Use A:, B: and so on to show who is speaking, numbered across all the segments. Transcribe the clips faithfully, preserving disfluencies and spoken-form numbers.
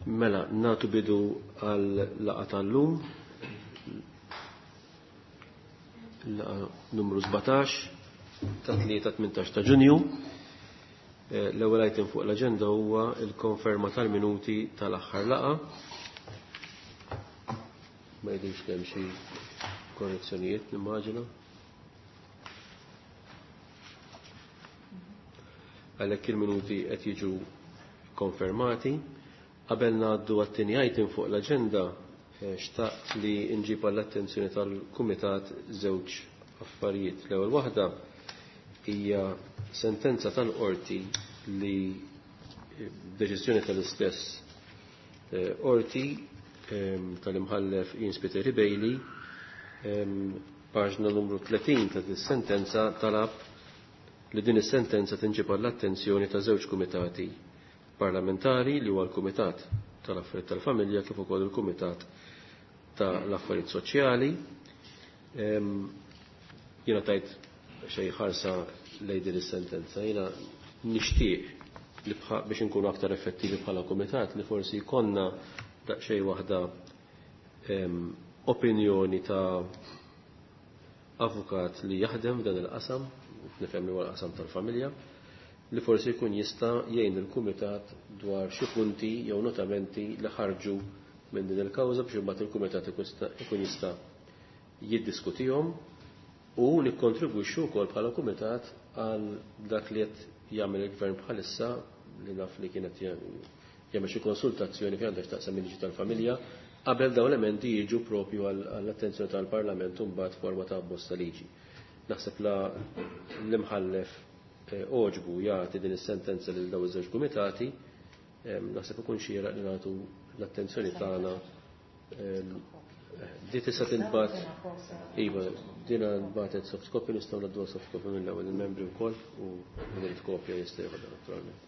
A: Mela, nagħtu bidu għal laqgħa tal-lum, laqgħa numru sbatax ta' tlieta tmintax ta' Ġunju. L-ewwel item fuq l-aġenda huwa l-konferma tal-minuti tal-aħħar laqgħa. Ma jidhirx li hemm xi korrezzjonijiet, nimmaġina. Għalhekk il-minuti qed jiġu konfermati. Qabel ngħaddu għat-tieni item fuq l-aġenda, xtaqt li nġib għall-attenzjoni tal-Kumitat żewġ affarijiet. L-ewwel waħda hija sentenza tal-qorti li deċiżjoni tal-istess qorti tal-imħallef Ian Spiteri Bailey, paġna numru tletin ta' dis-sentenza talab li din is-sentenza tinġib għall-attenzjoni ta' żewġ kumitati parlamentari, li huwa l-Kumitat tal-Affarijiet tal-Familja kif ukoll il-Kumitat tal-Affarijiet Soċjali. Jiena tajt xejn ħarsa lejn din is-sentenza, jiena nixtieq li biex inkunu aktar effettivi bħala kumitat li forsi jkollna daqsxejn waħda opinjoni ta' avukat li jaħdem f'dan il-qasam, nifhem li huwa l-qasam tal-familja, li forsi jkun jista' jgħin il-kumitat dwar xi punti jew notamenti li ħarġu minn din il-kawża biex imbagħad il-kumitat ikun jista' jiddiskutihom u nikkontribwixxu wkoll bħala kumitat għal dak li qed jagħmel il-gvern bħalissa, li naf li kienet jagħmel xi konsultazzjoni fejn għandha x'taqsam il-liġi tal-familja qabel dawn l-emendi jiġu propju għall-attenzjoni tal-Parlament u mbagħad forma ta' abbozz ta' liġi. Naħseb la l-imħallef oġbu jagħti din is-sentenza lil dawn iż-żewġ kumitati, naħseb ikun xieraq li nagħtu l-attenzjoni tagħna. Di tista' tinbagħat, iva, dina nbagħtet soft copy, nistgħu ngħadduha soft copy mill-ewwel il-membri wkoll u min irid kopja jista' jeħodha naturalment.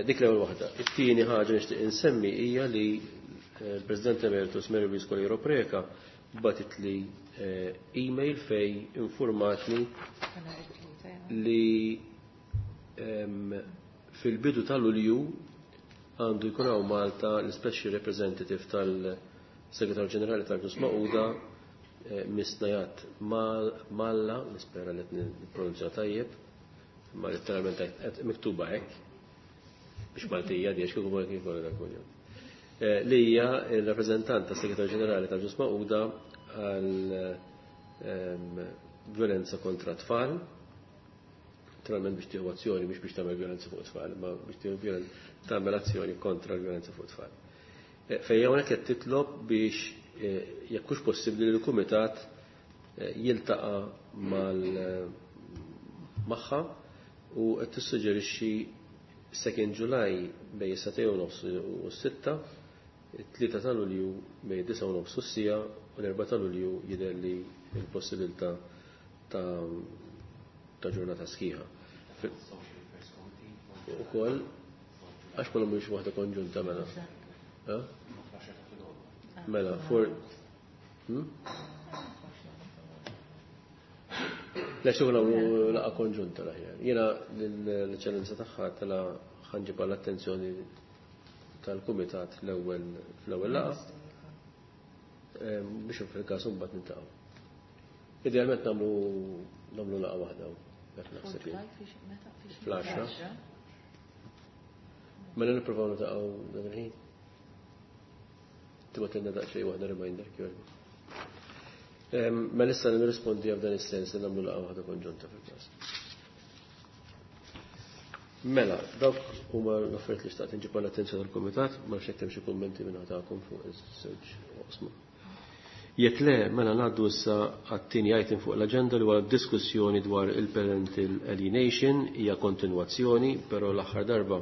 A: Dik l-ewwel waħda. It-tieni ħaġa nixtieq insemmi hija li l-President Emeritus Mary Louise Coleiro Preca bagħtet li email fej informatni li fil-bidu tal-Lulju għandu jkun hawn Malta l-Special Representative tal-Segretarju Ġenerali tal-Ġnus Magħquda, Miss Najat Malla, nispera li qed nippronunzja tajjeb, ma letteralment qed miktuba hekk biex Maltija di għax kieku ma kien dak kuljum. Li hija l-rappreżentant tas-Segretarju Ġenerali tal-Ġnus Magħquda għal violenza kontra tfal. Naturalment biex tieħu azzjoni, mhux biex tagħmel violenza fuq tfal, ma biex tieħu tagħmel azzjoni kontra l-violenza fuq tfal. Fejn hawnhekk qed titlob biex jekk hux possibbli li l-kumitat jiltaqa' mal magħha u qed tissuġġerixxi second July bejn is-satej u nofs u s-sitta, it-tlieta ta' Lulju bejn disa' u nofs u s-sija u l-erba' ta' Lulju jidher li l-possibilità ta' ta' ġurnata sħiħa. Ukoll għax ma nagħmlux waħda konġunta mela. Mela, for Le xogħol nagħmlu laqgħa konġunta l-aħjar. Jiena l-eċċellenza tagħha tela ħanġib għall-attenzjoni tal-kumitat l-ewwel fl-ewwel laqgħa biex fil-każ imbagħad niltaqgħu. Idealment nagħmlu nagħmlu laqgħa waħda hekk naħseb jien. Fl-għaxra. Mela nippruvaw niltaqgħu dak il-ħin. Tibgħatilna daqsxejn waħda reminder kif. Mela issa nirrispondi f'dan is-sens li nagħmlu laqgħa waħda konġunta fil-każ. Mela, dawk huma l-affarijiet li xtaqt inġib għall-attenzjoni tal-kumitat, ma nafx jekk hemm xi kummenti minn tagħkom fuq iż-żewġ oqsma. Jekk le, mela ngħaddu issa għat-tieni item fuq l-aġenda li huwa diskussjoni dwar il-parental alienation, hija kontinwazzjoni, però l-aħħar darba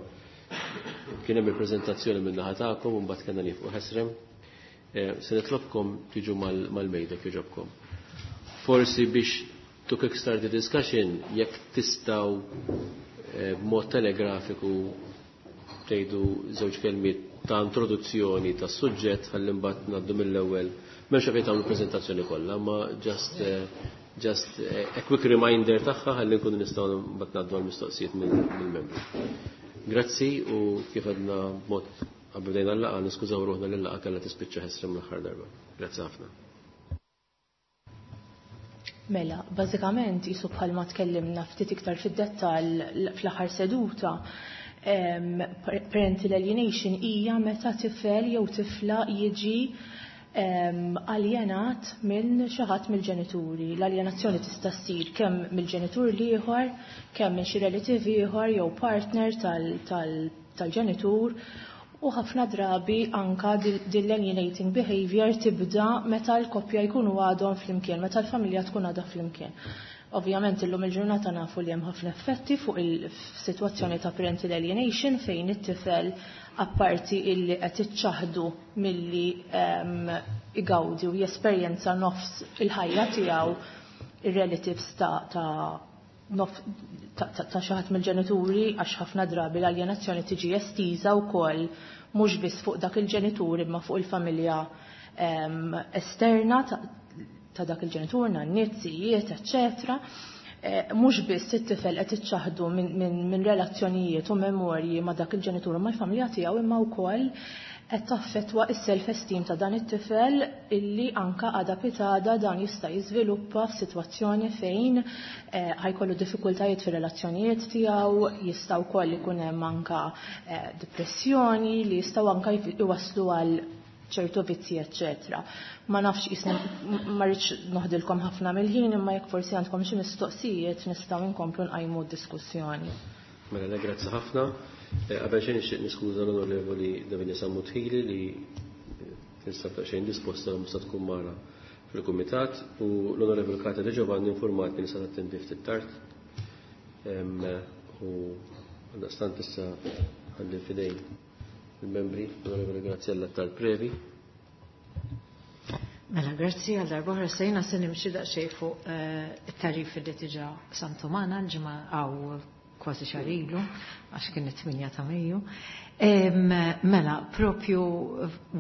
A: kien hemm il-preżentazzjoni minn naħa tagħkom u mbagħad kellna nieqfu ħesrem. Se nitlobkom tiġu mal-mejda kif. Forsi biex to kickstart the discussion, jekk tistgħu b'mod telegrafiku tgħidu żewġ kelmiet ta' introduzzjoni tas-suġġett ħalli mbagħad ngħaddu mill-ewwel. M'hemmx għalfejn tagħmlu preżentazzjoni kollha, ma just just a quick reminder tagħha ħalli nkunu nistgħu mbagħad ngħaddu għall-mistoqsijiet mill-membri. Grazzi u kif għadna b'mod qabel bdejna l-laqgħa niskużaw ruħna li l-laqgħa kellha tispiċċa ħesrem l-aħħar darba. Grazzi ħafna.
B: Mela, bażikament isu bħalma tkellimna ftit iktar fid-dettall fl-aħħar seduta, parental alienation hija meta tifel jew tifla jiġi aljenat minn xi ħadd mill-ġenituri. L-aljenazzjoni tista' ssir kemm mill-ġenitur l-ieħor, kemm minn xi relative ieħor jew partner tal-ġenitur, u ħafna drabi anka din l-alienating behavior tibda meta l-koppja jkunu għadhom flimkien, meta l-familja tkun għadha flimkien. Ovvjament illum il-ġurnata nafu li hemm ħafna effetti fuq il-sitwazzjoni ta' parental alienation fejn it-tifel apparti illi qed iċċaħdu milli igawdi u jesperjenza nofs il-ħajja tiegħu ir-relatives ta' ta' ta' xi ħadd mill-ġenituri, għax ħafna drabi l-aljenazzjoni tiġi estiża wkoll mhux biss fuq dak il-ġenitur imma fuq il-familja esterna ta' dak il-ġenitur, nanniet, zijiet, eċċetera. Mhux biss it-tifel qed iċċaħdu minn relazzjonijiet u memorji ma' dak il-ġenitur u mal-familja tiegħu, imma wkoll qed taffettwa s-self-esteem ta' dan it-tifel illi anka għada pitada dan jista' jiżviluppa f'sitwazzjoni fejn ħajkollu diffikultajiet fir-relazzjonijiet tiegħu, jista' wkoll ikun hemm anka depressjoni li jistgħu anka iwasslu għal ċertu vizzi, eċċetera. Ma nafx jisni ma rridx noħdilkom ħafna mill-ħin, imma jekk forsi għandkom xi mistoqsijiet nistgħu nkomplu nqajmu d-diskussjoni.
A: Mela, grazzi ħafna. Qabel xejn nixtieq niskuża l-Onorevoli Davinia Sammut Hili li tinsab daqsxejn disposta u mista tkun magħna fil-kumitat, u l-Onorevoli Kata De Giovanni informatni li se tattendi ftit tard. U għaldaqstant issa ħalli f'idejn il-membri, l-Onorevoli Graziella Tal-Previ.
C: Mela, grazzi għal darba sejna se nimxi daqsxejn fuq it-tarif li diġà samtu magħna l-ġimgħa għaw kważi xahar ilu, għax kien it-tminja ta' Mejju. Mela, propju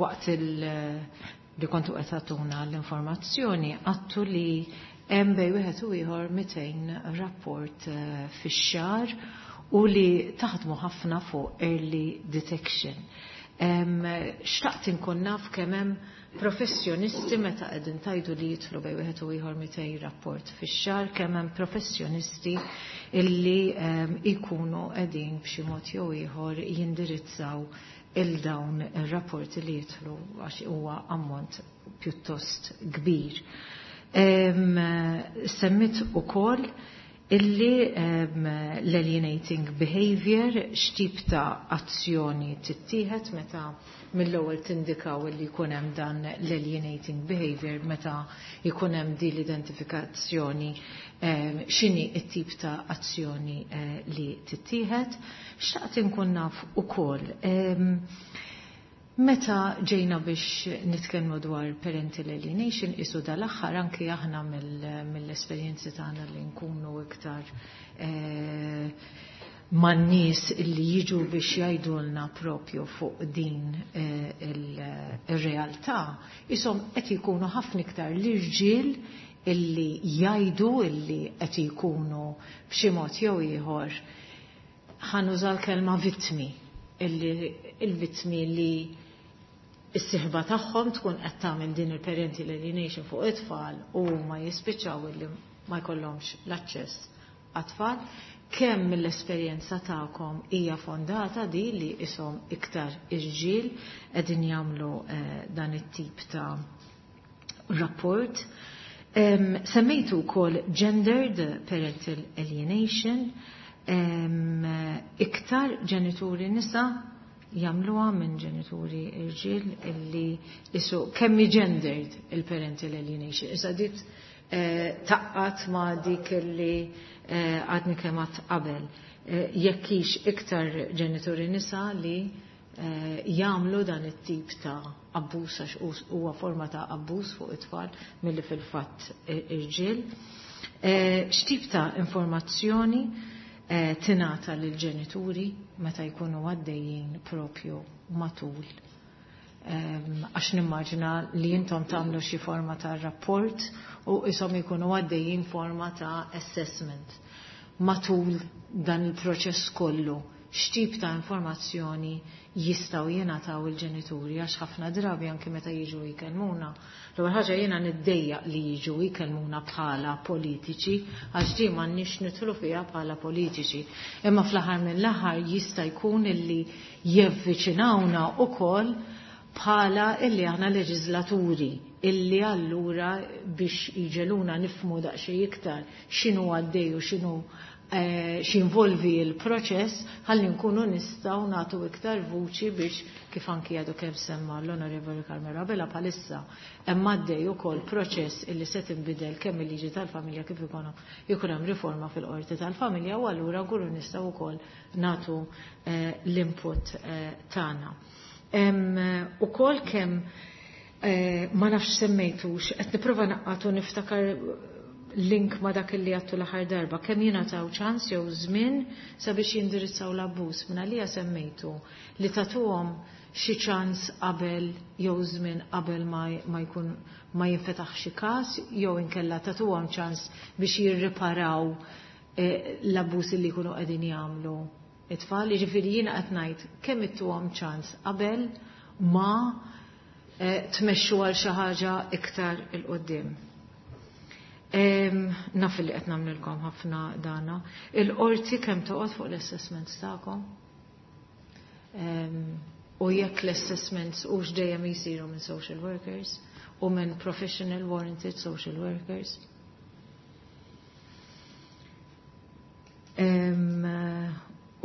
C: waqt li kontu qed tagħtuna l-informazzjoni, għattu li hemm bejn wieħed u ieħor mitejn rapport fix-xahar u li taħdmu ħafna fuq early detection. Xtaqt inkun naf kemm hemm professjonisti meta qegħdin tajdu li jidħlu bejn wieħed u ieħor mitejn rapport fix-xahar, kemm hemm professjonisti illi jkunu qegħdin b'xi mod jew ieħor jindirizzaw il dawn ir-rapporti li jidħlu, għax huwa ammont pjuttost kbir. Semmit ukoll illi l-alienating behavior x'tip ta' azzjoni tittieħed meta mill-ewwel tindikaw illi jkun hemm dan l-alienating behavior, meta jkun hemm din l-identifikazzjoni, x'inhi t-tip ta' azzjoni li tittieħed. Xtaqt inkun naf ukoll meta ġejna biex nitkellmu dwar parental alienation, isu dal-aħħar anki aħna mill-esperjenzi tagħna li nkunu iktar man-nies li jiġu biex jgħidulna propju fuq din ir-realtà, ishom qed jkunu ħafna iktar l-irġiel illi jgħidu illi qed jkunu b'xi mod jew ieħor, ħanuża l-kelma vittmi, illi il-vittmi li is-sieħba tagħhom tkun qed tagħmel din il-parental alienation fuq it-tfal u ma jispiċċaw illi ma jkollhomx l-aċċess għat-tfal. Kemm mill-esperjenza tagħkom hija fondata di li ishom iktar irġiel qegħdin jagħmlu dan it-tip ta' rapport? Semmejtu wkoll gendered parental alienation, iktar ġenituri nisa jagħmluha minn ġenituri irġiel illi isu kemm gendered il-parental alienation. Issa dit taqqat ma' dik illi għadni kemm għadt qabel. Jekk hix iktar ġenituri nisa li jagħmlu dan it-tip ta' abbuż, għax huwa forma ta' abbuż fuq it-tfal milli fil-fatt irġiel. X'tip ta' informazzjoni tingħata lill-ġenituri meta jkunu għaddejjin propju matul? Għax nimmaġina li intom tagħmlu xi forma ta' rapport u ishom jkunu għaddejjin forma ta' assessment. Matul dan il-proċess kollu, x'tip ta' informazzjoni jistgħu jingħataw il-ġenituri, għax ħafna drabi anke meta jiġu jkellmuna. L-ewwel ħaġa jiena niddejjaq li jiġu jkellmuna bħala politiċi, għax di m'għandniex nidħlu fiha bħala politiċi. Imma fl-aħħar mill-aħħar jista' jkun illi jevviċinawna wkoll bħala illi aħna leġislaturi, illi allura biex jiġeluna nifmu daqsxejn iktar x'inhu għaddej u x'inhu x'involvi l-proċess, ħalli nkunu nistgħu nagħtu iktar vuċi biex, kif anki għadu kemm semma l-Onorevoli Carmelo Abela, bħalissa hemm għaddej ukoll proċess illi se tinbidel kemm il-liġi tal-familja kif ikun jkun hemm riforma fil-qorti tal-familja, u allura nkunu nistgħu wkoll nagħtu l-input tagħna. Ukoll kemm ma nafx semmejtux, qed nipprova naqqatu niftakar link ma dak li għattu l-aħħar darba, kemm jingħataw ċans jew żmien sabiex jindirizzaw l-abbuż. Minn għalija semmejtu li tagħtuhom xi ċans qabel jew żmien qabel ma jkun ma jinfetaħ xi każ, jew inkella tagħtuhom ċans biex jirriparaw l-abbuż li jkunu qegħdin jagħmlu it-tfal. Jiġifieri jiena qed ngħid kemm ittuhom ċans qabel ma tmexxu għal xi ħaġa iktar il quddiem. Naf li qed nagħmlilkom ħafna dana. Il-qorti kemm toqgħod fuq l-assessments tagħkom? U jekk l-assessments hux dejjem jsiru minn social workers u minn professional warranted social workers.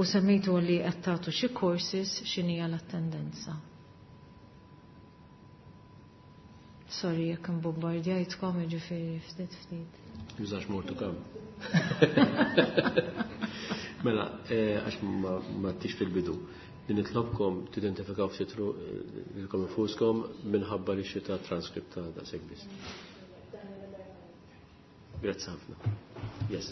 C: U semmejtu li qed tagħtu xi courses, x'inhija l-attendenza. Sorry, jekk imbombardjajtkom, jiġifieri ftit ftit.
A: Jużax mortu kemm. Mela, għax ma tix fil-bidu. Li nitlobkom tidentifikaw ftit lilkom infuskom minħabba li xi ta' transkript ta' daqshekk biss. Grazzi ħafna. Yes.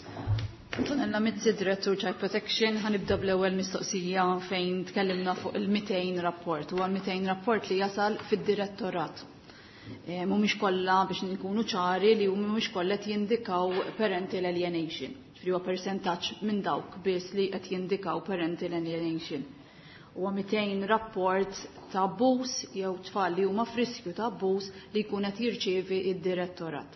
D: Antonella Mizzi, Direttur Child Protection, ħanibda bl-ewwel mistoqsija fejn tkellimna fuq il-mitejn rapport. Huwa l-mitejn rapport li jasal fid-direttorat. Mhumiex kollha, biex nkunu ċari, li mhumiex kollha qed jindikaw parental alienation. Ġifieri huwa persentaġġ minn dawk biss li qed jindikaw parental alienation. Huwa mitejn rapport ta' abbuż jew tfal li huma f'riskju ta' abbuż li jkun qed jirċievi id-direttorat.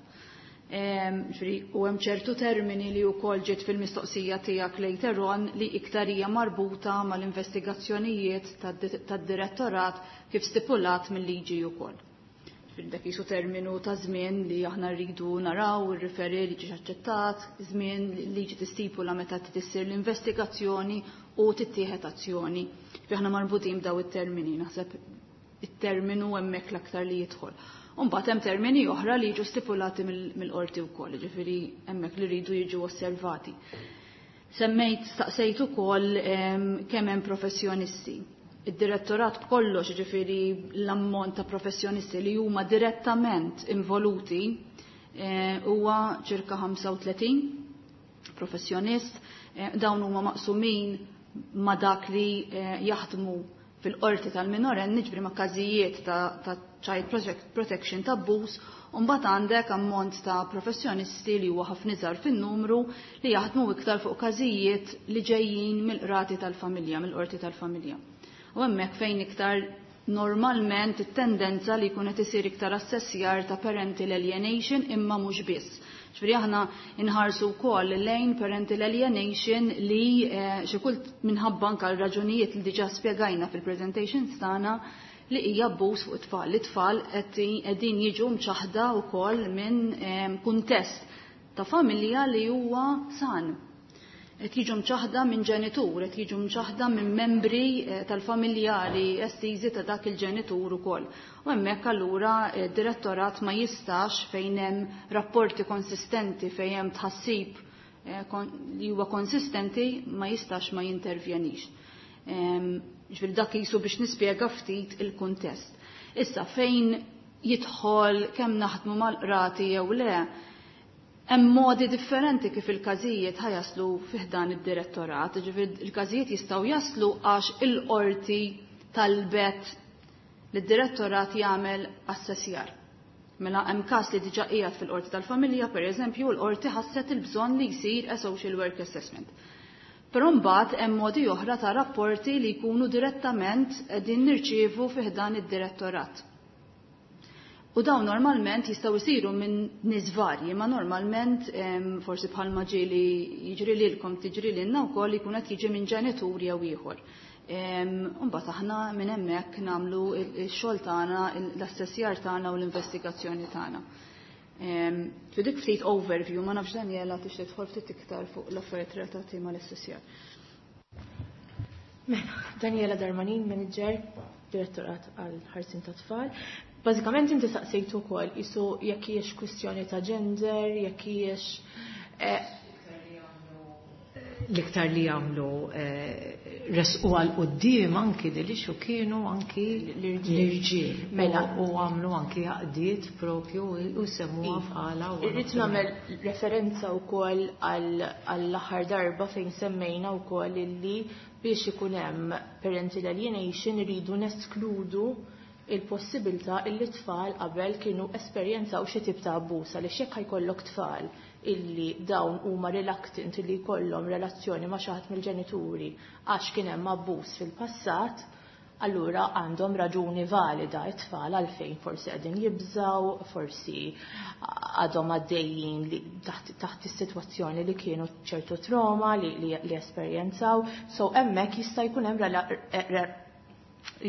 D: Ġifieri u hemm ċertu termini li wkoll ġiet fil-mistoqsija tiegħek later on li iktar hija marbuta mal-investigazzjonijiet tad-direttorat kif stipulat mill-liġi wkoll. Dak jisu terminu ta' żmien li aħna rridu naraw ir-referi li ġiex aċċettat, żmien li liġi tistipula meta tissir l-investigazzjoni u tittieħed azzjoni. Aħna marbutin b'daw it-termini, naħseb it-terminu hemmhekk l-aktar li jidħol. U mbagħad hemm termini oħra li jiġu stipulati mill-qorti wkoll, jiġifieri hemmhekk li rridu jiġu osservati. Semmejt staqsejt ukoll kemm hemm professjonisti. Id-direttorat b'kollox, ġifieri l-ammont ta' professjonisti li huma direttament involuti huwa ċirka ħamsa u tletin professjonist. Dawn huma maqsumin ma' dak li jaħdmu fil-qorti tal-minorenni, ġifieri ma' każijiet ta' child protection ta' abbuż, u mbagħad għandek ammont ta' professjonisti li huwa ħafna iżgħar fin-numru li jaħdmu iktar fuq każijiet li ġejjin mill-qrati tal-familja, mill-qorti tal-familja. U hemmhekk fejn iktar normalment it-tendenza li jkun qed isir iktar assessjar ta' parental alienation, imma mhux biss. Ġifieri aħna inħarsu wkoll lejn parental alienation li xi kult minħabba anke l-raġunijiet li diġà spjegajna fil-presentations tagħna li hija abbuż fuq it-tfal. It-tfal qegħdin jiġu mċaħda wkoll minn kuntest ta' familja li huwa san. Qed jiġu mċaħda minn ġenitur, qed jiġu mċaħda minn membri tal-familjari estiżi ta' dak il-ġenitur ukoll. U hemmhekk allura d-direttorat ma jistax fejn hemm rapporti konsistenti, fejn hemm tħassib li huwa konsistenti, ma jistax ma jintervjenix. Ġifieri dak jisu biex nispjega ftit il-kuntest. Issa fejn jidħol kemm naħdmu mal-qrati jew le, hemm modi differenti kif il-każijiet ħajaslu fih dan id-direttorat, ġifieri il-każijiet jistgħu jaslu għax il-qorti talbet li d-direttorat jagħmel assessjar. Mela hemm każ li diġà qiegħed fil-qorti tal-familja, pereżempju, l-qorti ħasset il-bżonn li jsir a social work assessment. Però mbagħad hemm modi oħra ta' rapporti li jkunu direttament qegħdin nirċievu fi ħdan id-direttorat. U dawn normalment jistgħu jsiru minn nies varji, ma normalment forsi bħalma ġieli jiġri lilkom tiġri lilna wkoll jkun qed jiġi minn ġenitur jew ieħor. Mbagħad aħna minn hemmhekk nagħmlu x-xogħol tagħna, l-assessjar tagħna u l-investigazzjoni tagħna. Fi dik ftit overview, ma nafx Daniela tixtieq tidħol ftit iktar fuq l-affarijiet relatati mal-assessjar.
B: Mela, Daniela Darmanin, manager, direttorat għal ħarsien ta' tfal. Bażikament inti saqsejtu wkoll isu jekk hijiex kwistjoni ta' gender, jekk hijiex eh,
C: L-iktar li jagħmlu resqu għal quddiem anki li xu kienu anki l-irġiel. Mela u għamlu anki għaqdiet propju u semmuha bħala.
B: Irrid nagħmel referenza wkoll għall-aħħar darba fejn semmejna wkoll illi biex ikun hemm parental alienation iridu neskludu il-possibilità illi tfal qabel kienu esperjenzaw xi tip ta' abbuż, għaliex jekk ħajkollok tfal illi dawn huma reluctant illi jkollhom relazzjoni ma' xi ħadd mill-ġenituri għax kien hemm abbuż fil-passat, allura għandhom raġuni valida it-tfal għalfejn forsi qegħdin jibżaw, forsi għadhom għaddejjin li taħt, taħt is-sitwazzjoni li kienu ċertu trauma li, li, li esperjenzaw. So hemmhekk jista' jkun hemm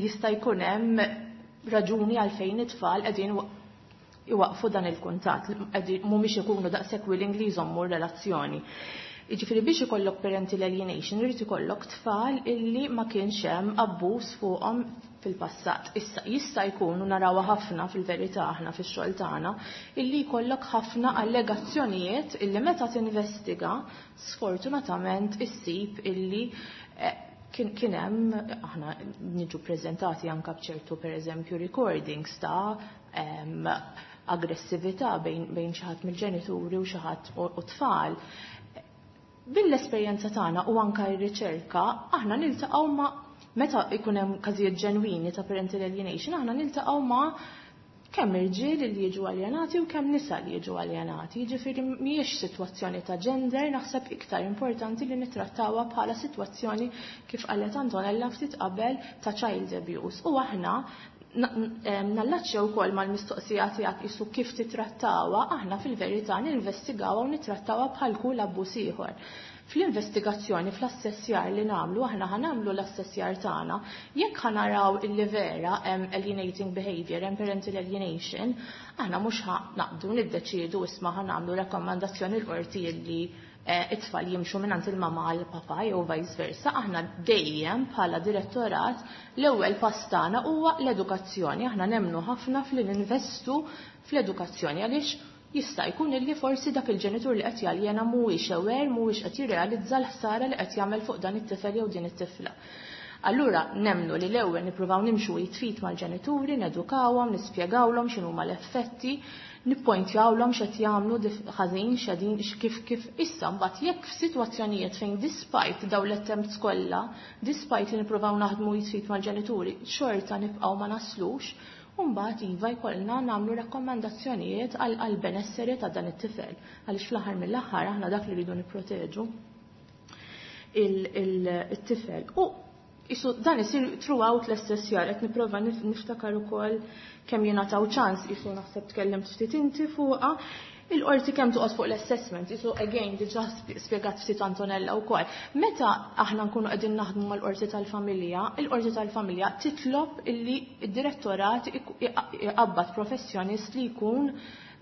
B: jista' jkun hemm raġuni għalfejn it-tfal qegħdin iwaqfu dan il-kuntatt, mhumiex ikunu daqshekk willing li jżommu relazzjoni. Jiġifieri biex ikollok parental alienation irid ikollok tfal illi ma kienx hemm abbuż fuqhom fil-passat. Issa jista' jkun u narawha ħafna fil-verità aħna fix-xogħol tagħna illi jkollok ħafna allegazzjonijiet illi meta tinvestiga sfortunatament issib illi kien kien hemm, aħna niġu preżentati anke b'ċertu pereżempju recordings ta' aggressività bejn bejn xi ħadd mill-ġenituri u xi ħadd u tfal. Bil-esperjenza tagħna u anke r-riċerka aħna niltaqgħu ma' meta jkun hemm każijiet ġenwini ta' parental alienation, aħna niltaqgħu ma' kemm irġiel li jiġu aljenati u kemm nisa li jiġu aljenati. Jiġifieri mhijiex sitwazzjoni ta' gender, naħseb iktar importanti li nittrattawha bħala sitwazzjoni kif qalet Antonella ftit qabel ta' child abuse. U aħna nallaċċja wkoll mal-mistoqsija tiegħek isu kif titrattawha, aħna fil-verità ninvestigawha u nittrattawha bħal kull abbuż ieħor. Fl-investigazzjoni, fl-assessjar li nagħmlu, aħna ħa nagħmlu l-assessjar tagħna, jekk ħa naraw illi vera hemm alienating behavior, hemm parental alienation, aħna mhux ħa naqbdu niddeċiedu isma' ħa nagħmlu rakkomandazzjoni l-qorti illi it-tfal jimxu minn il-mama għal papa jew vice versa. Aħna dejjem bħala direttorat l-ewwel pass tagħna huwa l-edukazzjoni. Aħna nemmnu ħafna fl-investu fl-edukazzjoni għaliex jista' jkun illi forsi dak il-ġenitur li qed jaljena mhuwiex aware, mhuwiex qed jirrealizza l-ħsara li qed jagħmel fuq dan it-tifel jew din it-tifla. Allura nemmnu li l-ewwel nippruvaw nimxu jitfit mal-ġenituri, nedukawhom, nispjegawlhom x'inhuma l-effetti, nippointjawlhom x'qed jagħmlu ħażin, x'qegħdin kif kif issa mbagħad jekk f'sitwazzjonijiet fejn despite dawn l-attempts kollha, despite li nippruvaw naħdmu jitfit mal-ġenituri, xorta nibqgħu ma naslux, u mbagħad iva jkollna nagħmlu rakkomandazzjonijiet għal benesseri ta' dan it-tifel, għaliex fl-aħħar mill-aħħar aħna dak li rridu nipproteġu il-tifel. U isu dan isir throughout l-assessjar, qed nipprova niftakar ukoll kemm jingħataw ċans, isu naħseb tkellimt ftit inti fuqha, il-qorti kemm toqgħod fuq l-assessment, isu again diġà spjegat ftit Antonella wkoll. Meta aħna nkunu qegħdin naħdmu mal-qorti tal-familja, il-qorti tal-familja titlob illi d-direttorat iqabbad professjonist li jkun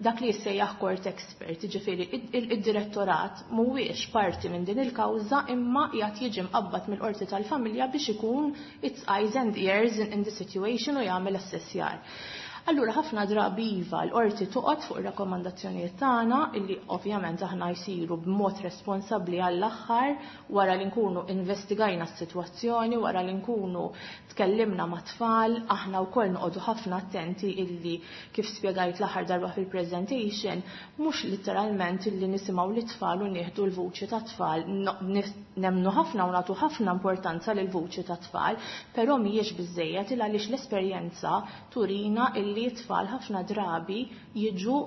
B: dak li jissejjaħ court expert, jiġifieri id-direttorat mhuwiex parti minn din il-kawża imma qiegħed jiġi mqabbad mill-qorti tal-familja biex ikun its eyes and ears in the situation u jagħmel assessjar. Allura ħafna drabi iva l-qorti toqgħod fuq ir-rakkomandazzjonijiet tagħna illi ovvjament aħna jsiru b'mod responsabbli għall-aħħar wara li nkunu investigajna s-sitwazzjoni, wara li nkunu tkellimna ma' tfal, aħna wkoll noqogħdu ħafna attenti illi kif spjegajt l-aħħar darba fil-presentation, mhux literalment illi nisimgħu lit-tfal u nieħdu l-vuċi ta' tfal, nemmnu ħafna u nagħtu ħafna importanza lil vuċi ta' tfal, però mhijiex biżejjed il għaliex l-esperjenza turina illi t-tfal ħafna drabi jiġu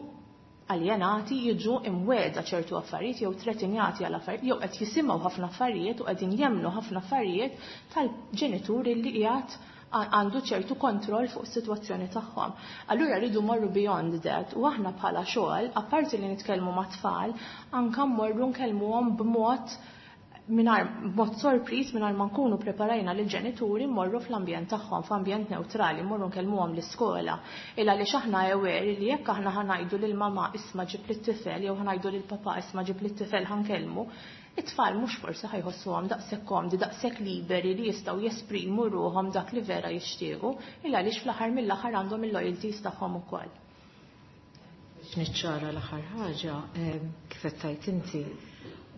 B: aljenati jiġu imweda ċertu affarijiet jew tretinjati għal affarijiet jew qed jisimgħu ħafna affarijiet u qegħdin jemmnu ħafna affarijiet tal-ġenituri li qiegħed għandu ċertu kontroll fuq is-sitwazzjoni tagħhom. Allura rridu morru beyond that u aħna bħala xogħol, apparti li nitkellmu mat-tfal, anke mmorru nkellmuhom b'mod mingħajr b'mod sorpriż mingħajr ma nkunu preparajna lil ġenituri mmorru fl-ambjent tagħhom, f'ambjent neutrali, mmorru nkellmuhom l-iskola. Illa għaliex aħna aware li jekk aħna ħa ngħidu lil mama isma' ġib lit-tifel jew ħa ngħidu lil papa isma' ġib lit-tifel ħa nkellmu, it-tfal mhux forsi ħa jħossuhom daqshekk komdi, daqshekk liberi li jistgħu jesprimu ruhom dak li vera jixtiequ, illa għaliex fl-aħħar mill-aħħar għandhom il-loyalties tagħhom ukoll.
C: Biex niċċara l-aħħar ħaġa, kif qed tgħid inti,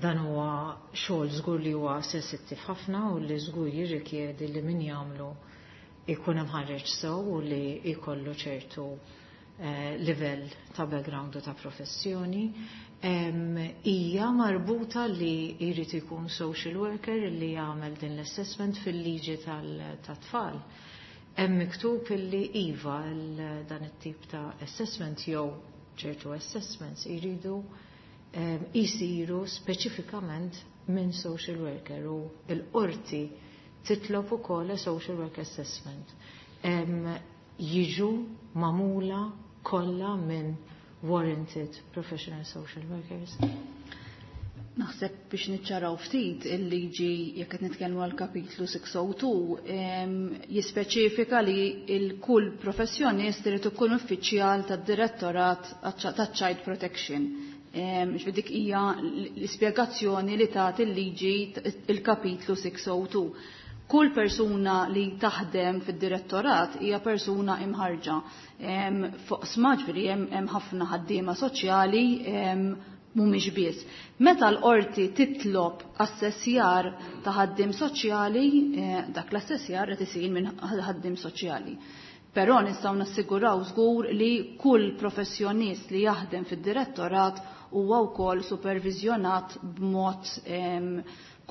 C: dan huwa xogħol żgur li huwa sensittiv ħafna u li żgur jirrikjedi li min jagħmlu jkun imħarreġ sew u li jkollu ċertu eh, livell ta' background u ta' professjoni. Hija marbuta li jrid ikun social worker li jagħmel din l-assessment fil-liġi tat-tfal. Hemm miktub illi iva dan it-tip ta' assessment jew ċertu assessments jridu jisiru speċifikament minn social worker u l-qorti titlob ukoll a social work assessment. Jiġu magħmula kollha minn warranted professional social workers.
D: Naħseb biex niċċaraw ftit il-liġi jekk qed nitkellmu għal kapitlu sitt mija u tnejn jispeċifika li il-kull professjonist irid ikun uffiċjal tad-Direttorat taċ-Child Protection. Ġifieri dik hija l-ispjegazzjoni li tagħti il-liġi il-kapitlu sitt mija u tnejn. Kull persuna li taħdem fid-direttorat hija persuna imħarġa. Fuq ġifieri hemm ħafna ħaddiema soċjali, mhumiex biss. Meta l-qorti titlob assessjar ta' ħaddiem soċjali, eh, dak l-assessjar qed isir minn ħaddiem soċjali. Però nistgħu nassiguraw żgur li kull professjonist li jaħdem fid-direttorat huwa wkoll supervizjonat b'mod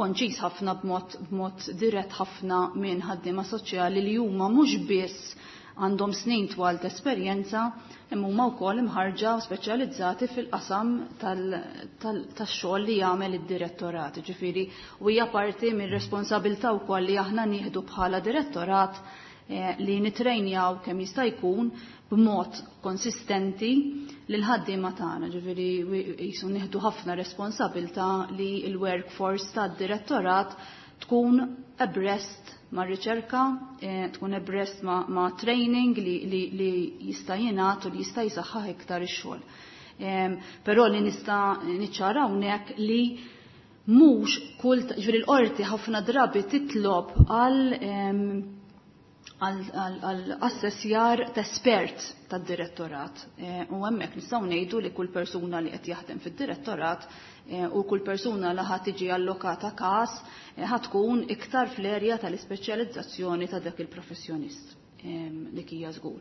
D: konċis ħafna, b'mod b'mod dirett ħafna minn ħaddiema soċjali li huma mhux biss għandhom snin twal ta' esperjenza, imma huma wkoll imħarġa u speċjalizzati fil-qasam tax-xogħol li jagħmel id-direttorat. Ġifieri u hija parti mir-responsabilità wkoll li aħna nieħdu bħala direttorat eh, li nitrejnjaw kemm jista' jkun b'mod konsistenti lil ħaddiema tagħna. Ġifieri jisu nieħdu ħafna responsabilità li l-workforce tad-direttorat tkun abreast ma' riċerka, eh, tkun abreast ma', ma training li, li, li jista' jingħat u li jista' jisaħħaħ iktar ix-xogħol. Però li nista' niċċara hawnhekk li mhux kull, ġifieri l-qorti ħafna drabi titlob għal għal assessjar ta' espert tad-direttorat. Eh, u hemmhekk nistgħu ngħidu li kull persuna li qed jaħdem fid-direttorat eh, u kull persuna li ħad tiġi allokata każ eh, ħad tkun iktar fl-erja tal-ispeċjalizzazzjoni ta' dak il-professjonist. Dik hija żgur.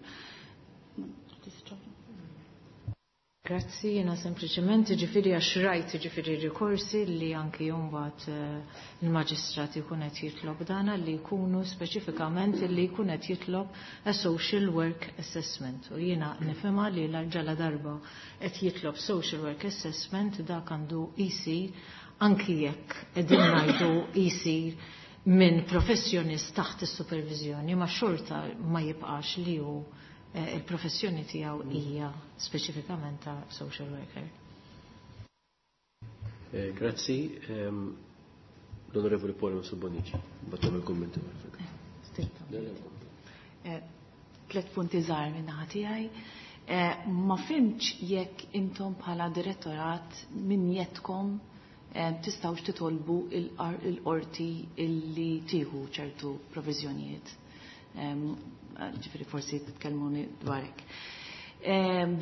C: Grazzi, jena sempliciment ġifiri għax rajt ġifiri rikorsi li anki jumbat eh, il-maġistrat jkun qed jitlob dana li jkunu speċifikament li jkun qed jitlob a social work assessment. U jiena nifhimha li l-ġala darba qed jitlob social work assessment, dak għandu jsir anki jekk qegħdin ngħidu jsir minn professjonist taħt is-supervizjoni, ma xorta ma jibqax li hu Eh, il-professjoni tiegħu hija speċifikament ta' social worker.
A: Eh, grazzi, ehm, l-Onorevoli Paul Bonnici, battam il-kommenti.
E: Eh, tlet punti żgħar minn naħa tiegħi. Ma fhimtx jekk intom bħala direttorat minn jeddkom tistgħux titolbu il-qorti illi tieħu ċertu proviżjonijiet, ġifiri forsi titkellmuni dwarek.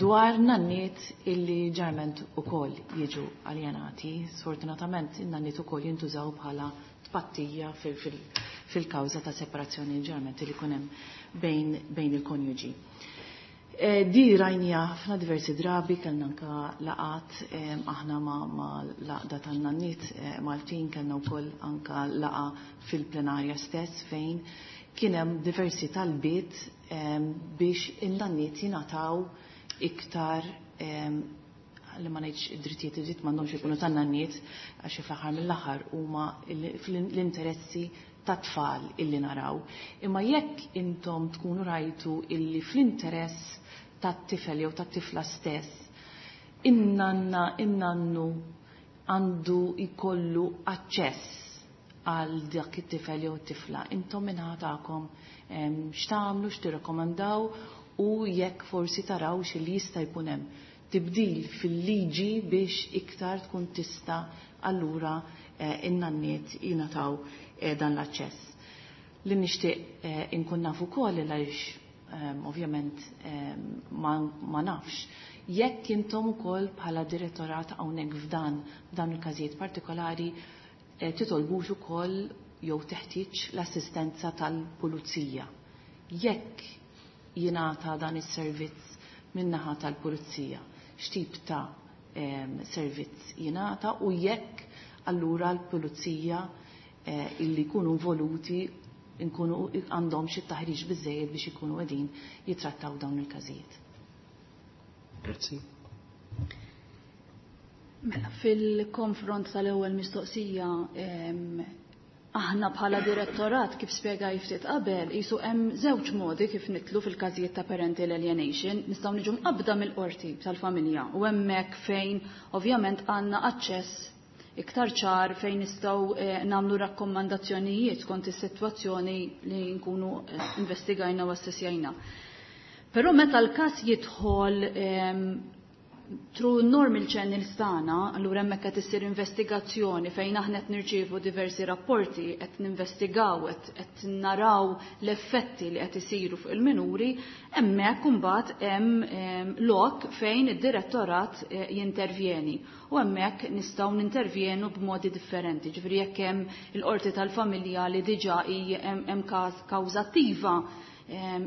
E: Dwar nanniet illi ġarment ukoll jiġu aljenati, sfortunatament in-nanniet ukoll jintużaw bħala tpattija fil-kawża ta' separazzjoni ġarment li kunem bejn, bejn il-konjuġi. E, di rajnija ħafna diversi drabi, kellna anka laqat aħna ma, ma l-għaqda tan-nanniet e, Maltin, kellna wkoll anka laqa fil-plenarja stess fejn kien hemm diversi talbiet biex in-nanniet jingħataw iktar li ma ngħidx id-drittijiet, id-dritt m'għandhomx ikunu tan-nanniet għax fl-aħħar mill-aħħar huma l-interessi tat-tfal illi naraw. Imma jekk intom tkunu rajtu illi fl-interess tat-tifel jew tat-tifla stess, in-nanna, in-nannu għandu jkollu aċċess għal dak it-tifel jew it-tifla. Intom minnaħa tagħkom x'tagħmlu, x'tirrakkomandaw u jekk forsi taraw xi jista' jkun hemm tibdil fil-liġi biex iktar tkun tista' allura in-nanniet jingħataw dan l-aċċess. Li nixtieq inkun naf ukoll għaliex ovvjament ma nafx jekk intom ukoll bħala direttorat hawnhekk f'dan f'dan il-każijiet partikolari titolbux ukoll jew teħtieġ l-assistenza tal-pulizija. Jekk jingħata dan is-servizz min-naħa tal-pulizija, x'tip ta' servizz jingħata u jekk allura l-pulizija illi jkunu involuti nkunu għandhom xi taħriġ biżejjed biex ikunu qegħdin jitrattaw dawn il-każijiet.
A: Grazzi.
D: Mela, fil-konfront tal-ewwel mistoqsija, aħna bħala direttorat kif spjegaj ftit qabel, qisu hemm żewġ modi kif nitlu fil-każijiet ta' parental alienation, nistgħu niġu mqabbda mill-qorti tal-familja u hemmhekk fejn ovvjament għandna aċċess iktar ċar fejn nistgħu nagħmlu rakkomandazzjonijiet skont is-sitwazzjoni li nkunu investigajna u assessjajna. Però meta l-każ jidħol through normal channels tagħna, allura hemmhekk qed issir investigazzjoni fejn aħna qed nirċievu diversi rapporti, qed ninvestigaw, qed naraw l-effetti li qed isiru fuq il-minuri, hemmhekk imbagħad hemm lok fejn id-direttorat jintervjeni. U hemmhekk nistgħu nintervjenu b'modi differenti. Ġifieri jekk hemm il-qorti tal-familja li diġà hemm każ kawża attiva,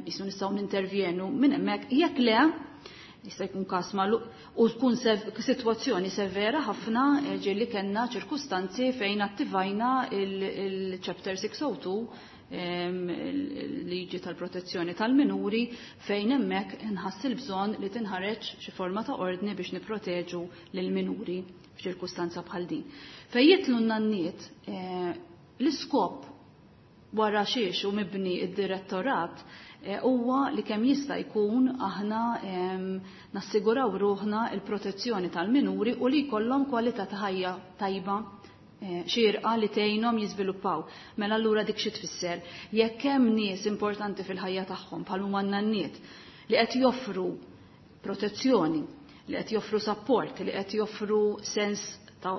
D: isu nistgħu nintervjenu minn hemmhekk, jekk le jista' jkun każ magħluq u tkun sitwazzjoni severa ħafna, ġieli kellna ċirkustanzi fejn attivajna il-Chapter six oh two, il-liġi tal-protezzjoni tal-minuri, fejn hemmhekk inħass il-bżonn li tinħareġ xi forma ta' ordni biex nipproteġu lill-minuri f'ċirkustanza bħal din. Fejn jitlu n-nanniet, l-iskop wara xiex u mibni id-direttorat huwa li kemm jista' jkun aħna nassiguraw ruħna il-protezzjoni tal-minuri u li jkollhom kwalità ta' ħajja tajba xierqa li tgħinhom jiżviluppaw. Mela allura dik xi tfisser? Jekk hemm nies importanti fil-ħajja tagħhom bħal huma n-nanniet li qed joffru protezzjoni, li qed joffru support, li qed joffru sens ta'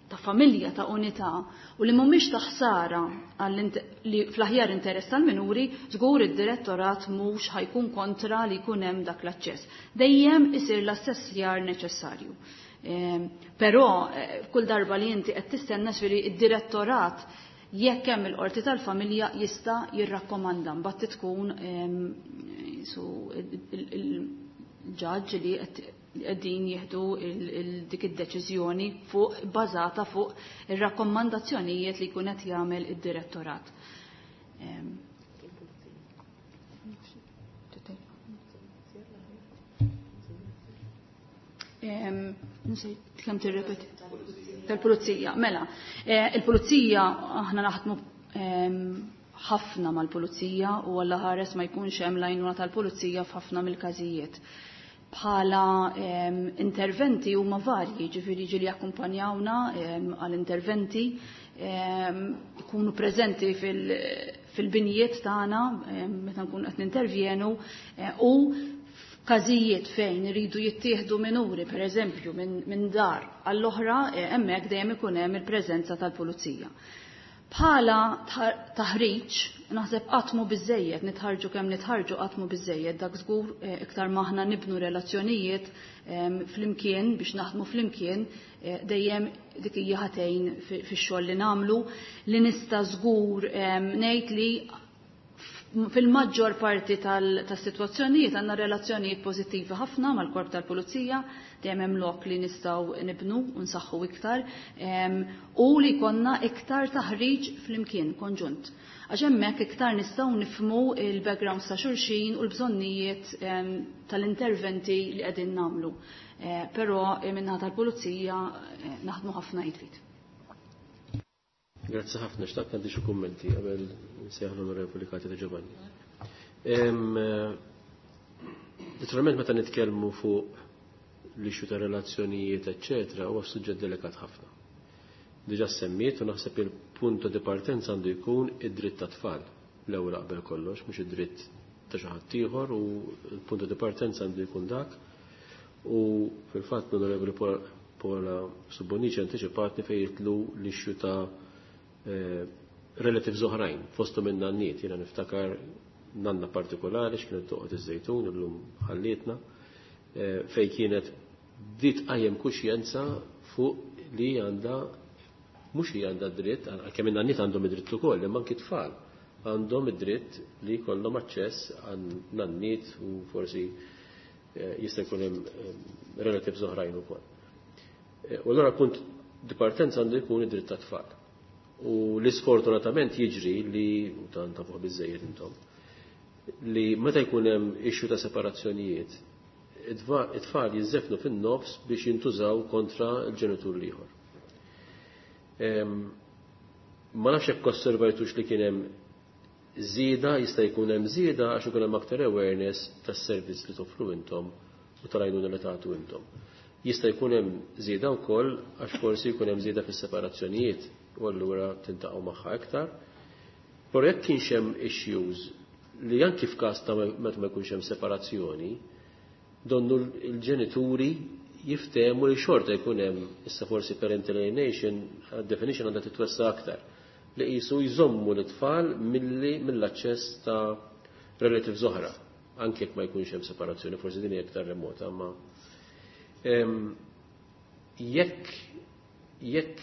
D: ta' familja, ta' unità, u li mhumiex ta' ħsara li fl-aħjar interess tal-minuri, żgur id-direttorat mhux ħajkun kontra li jkun hemm dak l-aċċess. Dejjem isir l-assessjar neċessarju. Però kull darba li inti qed tistenna xiri id-direttorat jekk hemm il-qorti tal-familja jista' jirrakkomanda mbagħad tkun il-ġaġġ li qed qegħdin jieħdu dik id-deċiżjoni fuq bażata fuq ir-rakkomandazzjonijiet li jkun qed jagħmel id-direttorat. Nsejt kemm tirrepeti. Tal-pulizija, mela. Il-pulizija aħna naħdmu ħafna mal-pulizija u alla ħares ma jkunx hemm l-għajnuna tal-pulizija f'ħafna mill-każijiet. Bħala interventi huma varji, ġifieri ġieli jakkumpanjawna għal interventi, ikunu preżenti fil-binjiet tagħna meta nkunu qed nintervjenu, u f'każijiet fejn iridu jittieħdu minuri, pereżempju minn dar għall-oħra, hemmhekk dejjem ikun hemm il-preżenza tal-pulizija. Bħala taħriġ, naħseb qatt mhu biżejjed, nitħarġu kemm nitħarġu qatt mhu biżejjed, dak żgur iktar maħna nibnu relazzjonijiet flimkien biex naħdmu flimkien, dejjem dik hija ħatejn fix-xogħol li nagħmlu, li nista' żgur ngħid li fil-maġġor parti tas-sitwazzjonijiet għandna relazzjonijiet pożittivi ħafna mal-korp tal-pulizija, dejjem hemm lok li nistgħu nibnu u nsaħħu iktar, u li konna iktar taħriġ flimkien konġunt. Għax hemmhekk iktar nistgħu nifhmu il-backgrounds ta' xulxin u l-bżonnijiet tal-interventi li qegħdin nagħmlu. Però min-naħa tal-pulizija naħdmu ħafna id f'id.
A: Grazzi ħafna, xtaqt għandi xi kummenti qabel nsejjaħ l-Onorevoli Katia De Giovanni. Naturalment meta nitkellmu fuq l-issue ta' relazzjonijiet, eċċetera, huwa suġġett delikat ħafna. Diġà semmiet u naħseb il-punto di partenza għandu jkun id-dritt ta' tfal l-ewwel qabel kollox, mhux id-dritt ta' xi ħadd ieħor, u l-punto di partenza għandu jkun dak. U fil-fatt l-Onorevoli Paula Subbonici antiċipatni fejn jitlu l-issue ta' relatives oħrajn, fosthom in-nanniet. Jiena niftakar nanna partikolari x'kienet toqgħod iż-Żejtun illum ħallietna, fejn kienet bdiet tqajjem kuxjenza fuq li għandha, mhux li għandha dritt, għalkemm in-nanniet għandhom id-dritt ukoll, imma anki tfal għandhom id-dritt li jkollhom aċċess għan nanniet u forsi jista' jkun hemm relatives oħrajn ukoll. U allura punt di partenza għandu jkun id-dritt tat-tfal. U li sfortunatament jiġri li, u tant tafuh biżżejjed intom, li meta jkun hemm issue ta' separazzjonijiet, it-tfal jiżżefnu fin-nofs biex jintużaw kontra l-ġenitur l-ieħor. Ma nafx hekk osservajtux li kien hemm żieda, jista' jkun hemm żieda għax ikun hemm aktar awareness tas-servizz li toffru intom u tal-għajnuna li tagħtu intom. Jista' jkun hemm żieda wkoll għax forsi jkun hemm żieda fis-separazzjonijiet u allura tintaqgħu magħha iktar. Però jekk kienx hemm issues li anki f'każ ta' meta ma jkunx hemm separazzjoni, donnu l-ġenituri jiftehmu li xorta jkun hemm, issa forsi parental alienation, definition għandha titwessa aktar, li qisu jżommu l-tfal milli mill-aċċess ta' relatives oħra, anke jekk ma jkunx hemm separazzjoni, forsi din hija iktar remota, ma jekk jekk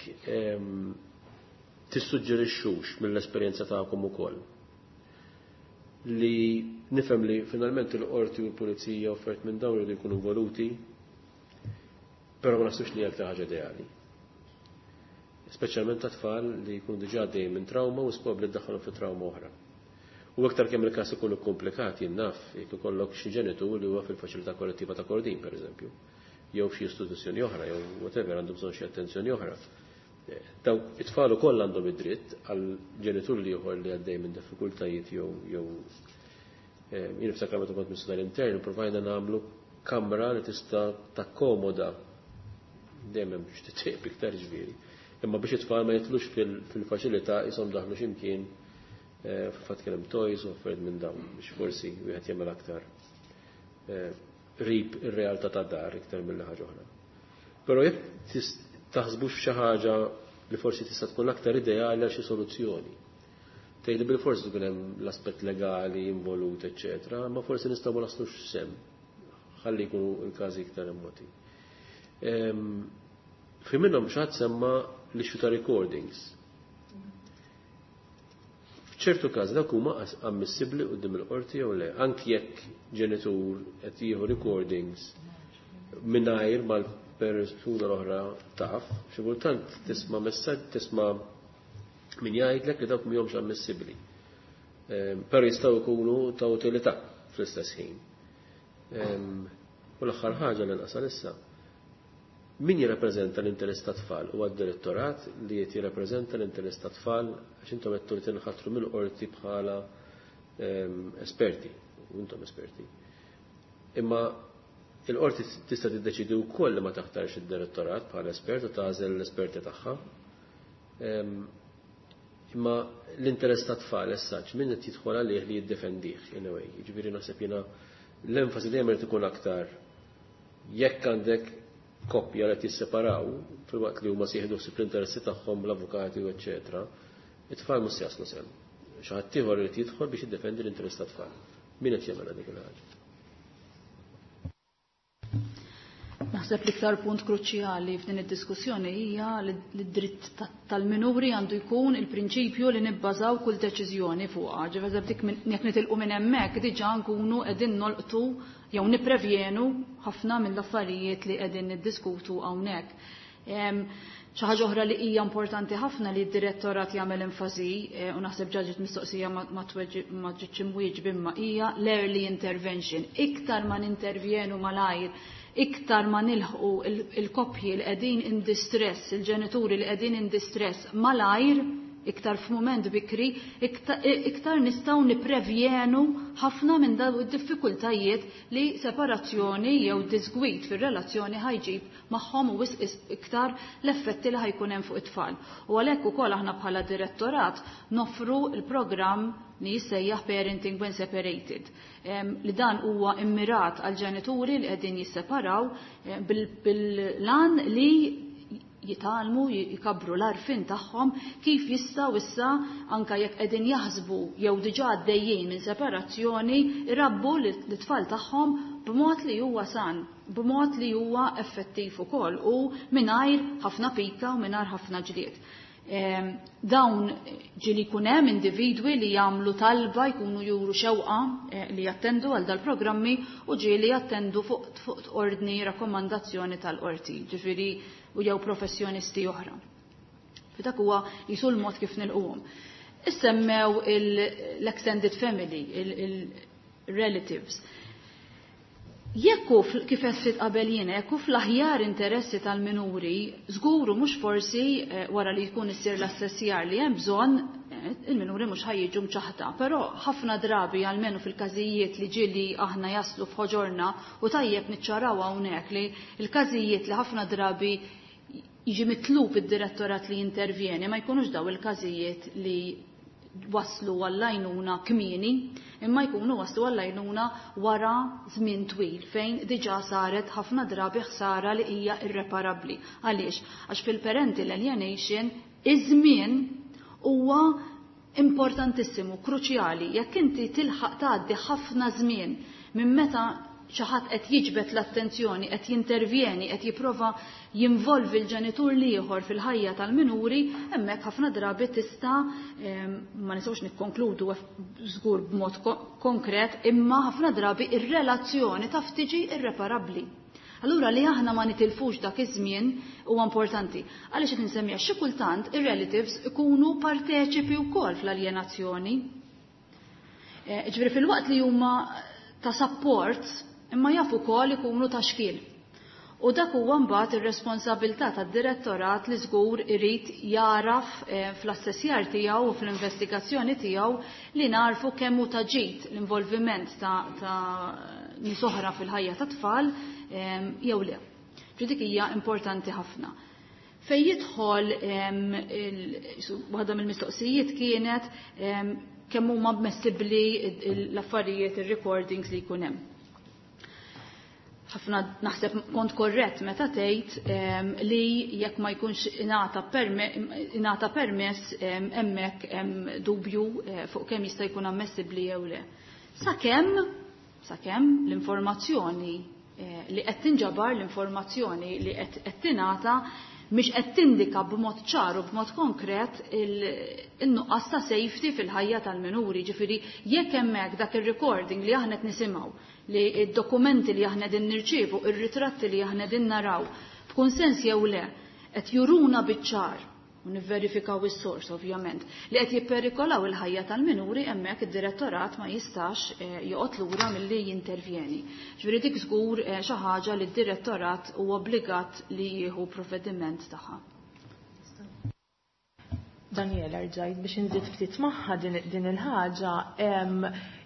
A: tissuġġerixxux mill-esperjenza tagħkom ukoll li nifhem li finalment il-qorti u l-pulizija offert minn dawn li jkunu involuti, però ma naħsibx li hija aktar ħaġa ideali. Speċjalment ta' tfal li jkunu diġà għaddejjin minn trauma u probabbli ddaħħalhom fi trauma oħra. U aktar kemm il-każ ikunu komplikat, jien naf, jekk ikollok xi ġenitur li huwa fil-faċilità korrettiva ta' Kordin, pereżempju, jew f'xi istituzzjoni oħra, jew whatever, għandu bżonn xi attenzjoni oħra. Dawk it-tfal ukoll għandhom id-dritt għal ġenitur li ieħor li għaddej minn diffikultajiet jew jew jien niftakar meta kont Ministru tal-Intern provajna nagħmlu kamra li tista' takkomoda dejjem hemm biex titqieb iktar ġifieri. Imma biex it-tfal ma jitlux fil-faċilità ishom daħlu x'imkien, fil-fatt kien hemm toys u affarijiet minn dawn biex forsi wieħed jagħmel aktar qrib ir-realtà ta' dar iktar milli ħaġa oħra. Però jekk taħsbux f'xi ħaġa li forsi tista' tkun aktar ideali għal xi soluzzjoni. Tgħidli bil-forsi tkun hemm l-aspett legali involut, eċċetera, ma forsi nistgħu ma naslux sem, ħalli jkunu l-każi iktar remoti. Fi minnhom xi ħadd semma l-issue ta' recordings. F'ċertu każ dak huma ammissibbli quddiem il-qorti jew le, anki jekk ġenitur qed jieħu recordings mingħajr mal-persuna l-oħra taf, xi kultant tisma' messaġġ, tisma' min jgħidlek li dawk mhumiex ammissibbli. Però jistgħu jkunu ta' utilità fl-istess ħin. U l-aħħar ħaġa li nqasal issa, min jirrappreżenta l-interess ta' tfal? Huwa d-direttorat li qed jirrappreżenta l-interess ta' tfal għax intom qed li tinħatru mill-qorti bħala esperti, u intom esperti. Imma il-qorti tista' tiddeċidi wkoll li ma taħtarx id-direttorat bħala espert u tagħżel l-esperti tagħha. Imma l-interess ta' tfal essaġġ min qed jidħol għalih li jiddefendih in a way. Jiġifieri naħseb jiena l-enfasi dejjem irid ikun aktar jekk għandek koppja li jisseparaw filwaqt li huma sieħdu ħsieb l-interessi tagħhom l-avukati u eċċetera, it-tfal mhux jaslu sehem. Xi ħadd ieħor irid jidħol biex jiddefendi l-interess tat-tfal. Min qed jagħmel dik il-ħaġa?
D: Naħseb l-iktar punt kruċjali f'din id-diskussjoni hija li d-dritt tal-minuri għandu jkun il-prinċipju li nibbażaw kull deċiżjoni fuqha. Ġifieri dik jekk nitilqu minn hemmhekk diġà nkunu qegħdin nolqtu jew nipprevjenu ħafna mill-affarijiet li qegħdin niddiskutu hawnhekk. Xi ħaġa oħra li hija importanti ħafna li d-direttorat jagħmel enfasi, u naħseb ġaġet mistoqsija ma ġietx imwieġb imma hija l-early intervention. Iktar ma nintervjenu malajr, iktar ma nilħqu il-koppji li qegħdin in distress, il-ġenituri li qegħdin in distress malajr, iktar f'mument bikri, iktar nistgħu nipprevjenu ħafna minn dawn id-diffikultajiet li separazzjoni jew disgwid fir-relazzjoni ħajġib magħhom u wisq iktar l-effetti li ħajkun hemm fuq it-tfal. U għalhekk ukoll aħna bħala direttorat noffru l-programm li jissejjaħ Parenting When Separated, li dan huwa immirat għal ġenituri li qegħdin jisseparaw bil-lan li jitgħallmu, jikabru l-għarfien tagħhom kif jistgħu issa anke jekk qegħdin jaħsbu jew diġà għaddejjin minn separazzjoni irabbu l-tfal tagħhom b'mod li huwa san, b'mod li huwa effettiv ukoll u mingħajr ħafna pika u mingħajr ħafna ġlied. Dawn ġieli jkun hemm individwi li jagħmlu talba jkunu juru xewqa li jattendu għal dal-programmi u ġieli jattendu fuq fuq ordni rakkomandazzjoni tal-qorti, ġifieri u jew professjonisti oħra. Dak huwa jisu l-mod kif nilquhom. Issemmew l-extended family, il-relatives. Jekk hu kif qed qabel jiena, jekk hu fl-aħjar interessi tal-minuri, żguru mhux forsi wara li jkun issir l-assessjar li hemm bżonn, il-minuri mhux ħajjiġu mċaħta, però ħafna drabi almenu fil-każijiet li ġieli aħna jaslu f'ħoġorna u tajjeb niċċaraw hawnhekk li l-każijiet li ħafna drabi jiġi mitlub id-direttorat li jintervjeni ma jkunux daw il-każijiet li waslu għall-għajnuna kmieni, imma jkunu waslu għall-għajnuna wara żmien twil fejn diġà saret ħafna drabi ħsara li hija irreparabbli. Għaliex? Għax fil-parental alienation iż-żmien huwa importantissimu, kruċjali. Jekk inti tilħaq tgħaddi ħafna żmien minn meta xi ħadd qed jiġbed l-attenzjoni, qed jintervjeni, qed jipprova jinvolvi l-ġenitur l-ieħor fil-ħajja tal-minuri, hemmhekk ħafna drabi tista' ma nistgħux nikkonkludu żgur b'mod konkret, imma ħafna drabi ir-relazzjoni taf tiġi irreparabbli. Allura li aħna ma nitilfux dak iż-żmien huwa importanti. Għaliex qed insemmiha xi kultant ir-relatives ikunu parteċipi wkoll fl-aljenazzjoni. Ġifieri fil-waqt li huma ta' support, imma jafu wkoll ikunu ta' xkiel. U dak huwa mbagħad ir-responsabilità tad-direttorat li żgur irid jaraf fl-assessjar tiegħu u fl-investigazzjoni tiegħu li narfu kemm hu ta' ġid l-involviment ta', ta nies oħra fil-ħajja tat-tfal jew le. Ġi dik hija importanti ħafna. Fejn jidħol waħda mill-mistoqsijiet kienet kemm huma ammessibbli l-affarijiet, ir-recordings li jkun hemm. Ħafna naħseb kont korrett meta tgħid li jekk ma jkunx ingħata permess hemmhekk hemm dubju fuq kemm jista' jkun ammessibbli jew le. Sakemm sakemm l-informazzjoni li qed tinġabar, l-informazzjoni li qed tingħata mhix qed tindika b'mod ċar u b'mod konkret in-nuqqas ta' safety fil-ħajja tal-minuri. Ġifieri jekk hemmhekk dak ir-recording li aħna qed nisimgħu, li d-dokumenti li aħna qegħdin nirċievu, ir-ritratti li aħna qegħdin naraw, b'kunsens jew le, qed juruna biċ-ċar, u nivverifikaw is-sors ovvjament, li qed jipperikolaw il-ħajja tal-minuri, hemmhekk id-direttorat ma jistax joqgħod lura milli jintervjeni. Ġifieri dik żgur xi ħaġa li d-direttorat huwa obbligat li jieħu provvediment tagħha.
B: Daniela, rġajt biex inżid ftit magħha din il-ħaġa